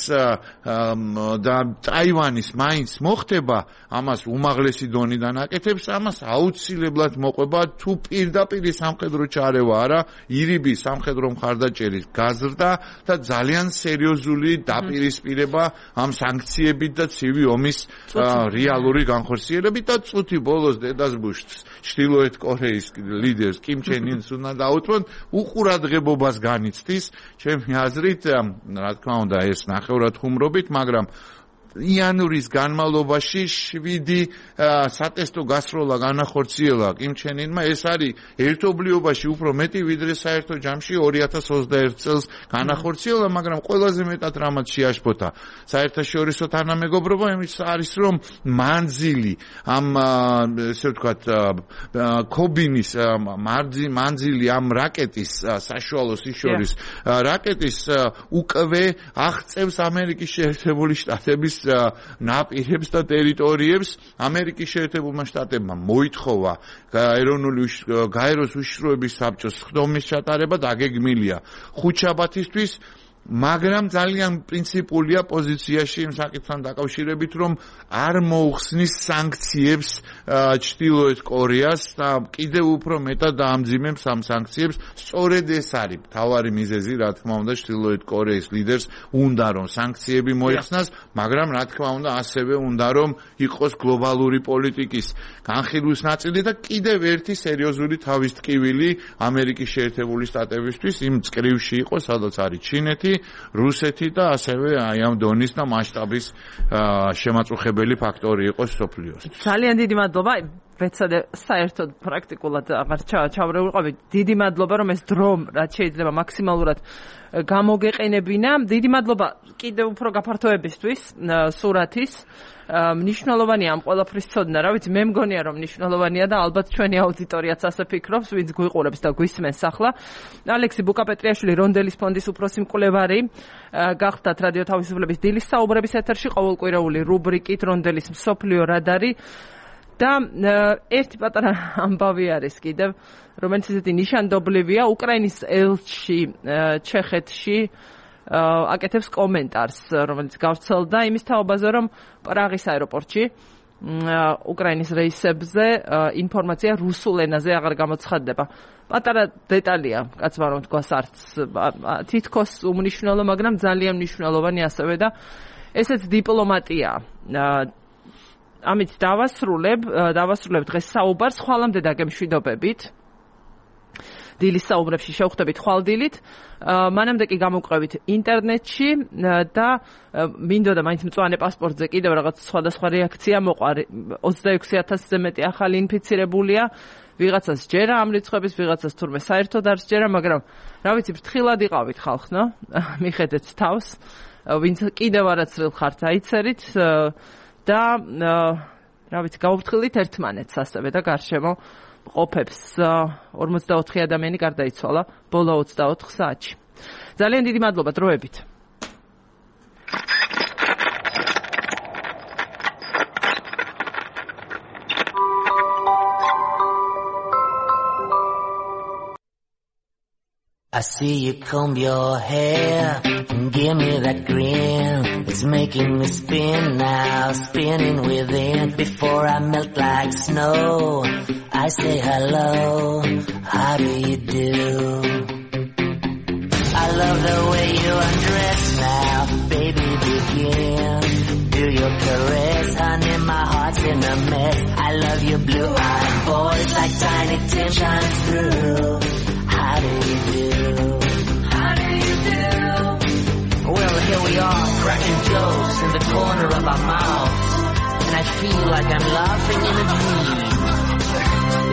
და ტაივანის მაინც მოხდება, ამას უმაღლესი დონიდან აკეთებს, ამას აუცილებლად მოყვება თუ პირდაპირ სამხედრო ჩარევა არა, ირიბი სამხედრო მხარდაჭერის გაზრდა და ძალიან სერიოზული დაპირისპირება ამ სანქციებით და ცივი ომის რეალური განხორციელებით და წუთი ბოლოს დედას ბუშს ჩრდილოეთ კორეის ლიდერს კიმ ჩენ ინს უნდა დაუთმოთ უყურადღებობას განიცდის ჩემი აზრით რა თქმა უნდა ეს ნახევრად ხუმრობით, მაგრამ იანვრის განმავლობაში 7 სატესტო გასროლა განახორციელა კიმ ჩენ ინმა ეს არის ერთობლიობაში უფრო მეტი ვიდრე საერთო ჯამში 2021 წელს განახორციელა, მაგრამ ყველაზე მეტად რამაც შეაშფოთა საერთაშორისო თანამეგობრობა იმის არის რომ მანძილი ამ ესე ვთქვათ ქობინის მანძილი ამ რაკეტის საშუალო სიშორის რაკეტის უკვე აღწევს ამერიკის შეერთებული შტატების ნაპირებს და ტერიტორიებს. ამერიკის შეერთებულმა შტატებმა მოითხოვა გაეროს უშიშროების საბჭოს სხდომის ჩატარება და გეგმილია ხუთშაბათისთვის, მაგრამ ძალიან პრინციპულია პოზიციაში იმ საკითხთან დაკავშირებით, რომ არ მოუხსნის სანქციებს ჩრდილოეთ კორეას და კიდევ უფრო მეტად დაამძიმებს ამ სანქციებს. სწორედ ეს არის მთავარი მიზეზი, რა თქმა უნდა, ჩრდილოეთ კორეის ლიდერს უნდა რომ სანქციები მოიხსნას, მაგრამ რა თქმა უნდა, ასევე უნდა რომ იყოს გლობალური პოლიტიკის განხილვის ნაწილი და კიდევ ერთი სერიოზული თავისტკივილი ამერიკის შეერთებული შტატებისთვის იმ წკრივში იყო, სადაც არის ჩინეთი, რუსეთი და ასევე აი ამ დონის და მასშტაბის შემაწუხებელი ფაქტორი იყო სოფლიოს. ძალიან დიდი მადლობა. ვეცადე საერთოდ პრაქტიკულად აღარ ჩავრეულიყავი. დიდი მადლობა რომ ეს დრო რაც შეიძლება მაქსიმალურად გამოგეყენებინა. დიდი მადლობა კიდევ უფრო გაფართოებისთვის სურათის. მნიშვნელოვანია ამ ყველაფრის ცოდნა, რა ვიცი, მე მგონია რომ მნიშვნელოვანია და ალბათ ჩვენი აუდიტორიაც ასე ფიქრობს, ვინც გვიყურებს და გვისმენს ახლა. ალექსი ბუკაპეტრიაშვილი რონდელის ფონდის უფროსი მკვლევარი, გახდათ რადიო თავისუფლების დილის საუბრების ეთერში ყოველკვირეული რუბრიკით რონდელის მსოფლიო რადარი. და ერთი პატარა ამბავი არის კიდევ, რომელიც ისეთი ნიშანდობლივია, უკრაინის ელჩი ჩეხეთში აკეთებს კომენტარს, რომელიც გავრცელდა იმის თაობაზე, რომ პრაღის აეროპორტში უკრაინის რეისებზე ინფორმაცია რუსულ ენაზე აღარ გამოცხადდება. პატარა დეტალია, კაცმა რომ თქვას არც თითქოს უმნიშვნელო, მაგრამ ძალიან მნიშვნელოვანი ასევე და ესეც დიპლომატია. ამით დავასრულებ დღეს საუბარს, ხვალამდე დაგემშვიდობებით. დილის საუბრებში შევხვდებით ხვალდილით, მანამდე კი გამოვყევით ინტერნეტში და მინდოდა მაინც მწვანე პასპორტზე კიდევ რაღაც სხვადასხვა რეაქცია მოყვა. 26,000-ზე მეტი ახალი ინფიცირებულია, ვიღაცას ჯერა ამ რიცხვების, ვიღაცას თურმე საერთოდ არ სჯერა, მაგრამ რა ვიცი, ფრთხილად იყავით ხალხო, მიხედეთ თავს, ვინც კიდევ არაცრილ ხართ აიცერით და რა ვიცი, გაუფრთხილდით ერთმანეთს ასევე და გარშემო ყოფებს 44 ადამიანი გარდაიცვალა ბოლო 24 საათში. ძალიან დიდი მადლობა დროებით. I see you comb your hair and give me that grin. It's making me spin now, spinning within. Before I melt like snow, I say hello, how do you do? I love the way you undress now, baby begin. Do your caress, honey, my heart's in a mess. I love your blue-eyed boys like tiny tin shines through. How do you do? How do you do? Well, here we are, cracking jokes in the corner of our mouths, and I feel like I'm laughing in a dream.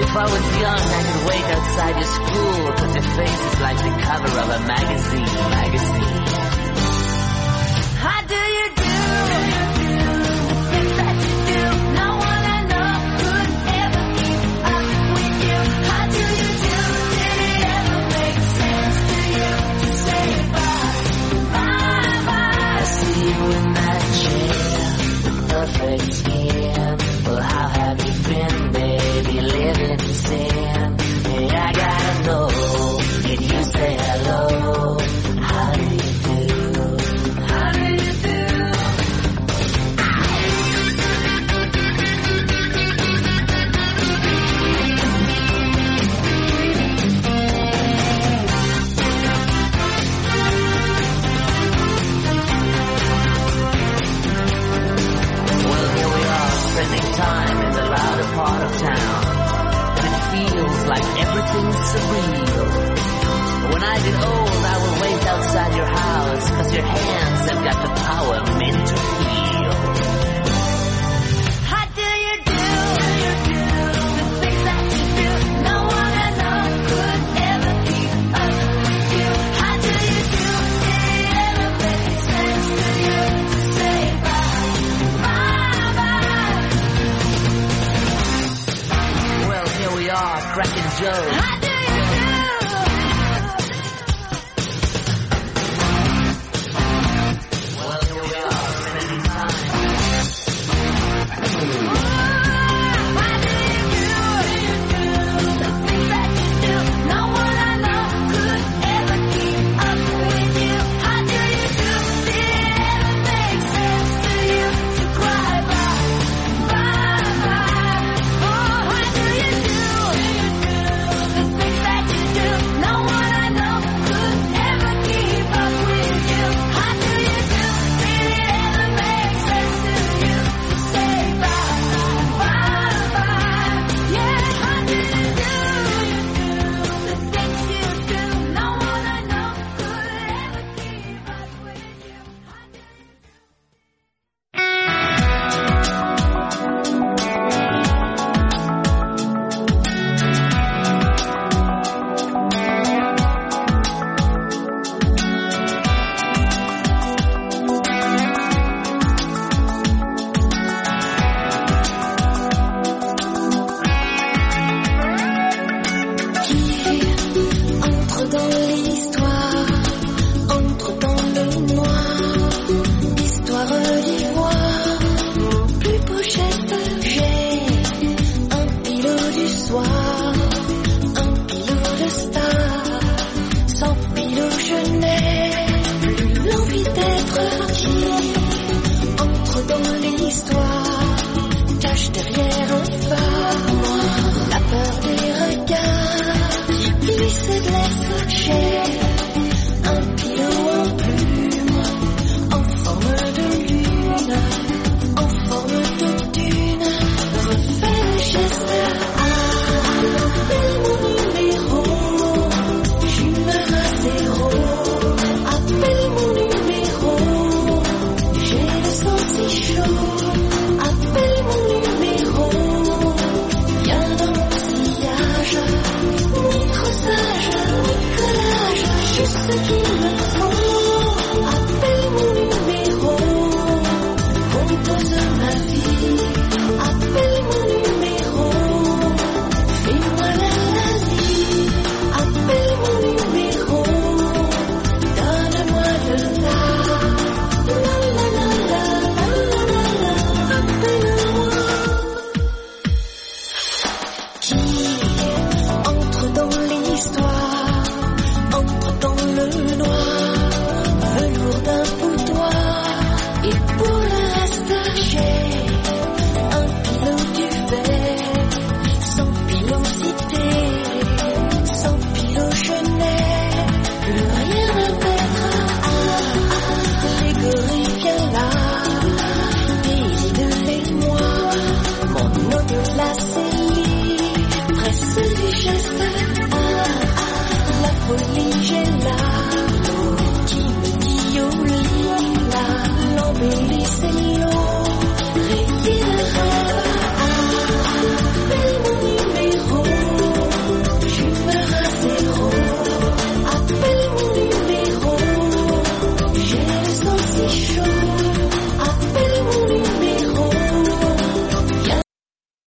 If I was young, I could wait outside your school, cause your face is like the cover of a magazine. How do you do? The things that you do, no one I know could ever keep up with you. How do you do? Did it ever make sense to you to say bye? I see you in that chair, the perfect skin. Well, how have you been, baby, living in sin? Hey, I gotta know, can you say hello? How do you do? How do you do? Well, here we are, spending time in the louder part of town, and it feels like everything's surreal. When I get old, I will wait outside your house, cause your hands have got the power meant to heal. How do you do? The things that you do, no one I know could ever keep up with you. How do you do? Did it ever make sense to you to say bye? Well, here we are, cracking jokes. How do you do? Well, here we are, spending time. How do you do? The things that you do, no one I know could ever keep up with you. How do you do? Did it ever make sense to you to cry bye? Oh, how do you do? The things that you do, no one I know could ever keep up with you. How do you do? Did it ever make sense to you to say bye? Yeah, how do you do? The things you do, no one I know could ever keep up with you. How do you do? Entre dans l'histoire, entre dans le noir, histoire d'ivoire, mon plus beau geste j'ai, un pilot du soir, un pilot de star, sans pilot je n'ai plus l'envie d'être qui, entre dans l'histoire, cache derrière un phare, la peur des regards, qui se laisse j'ai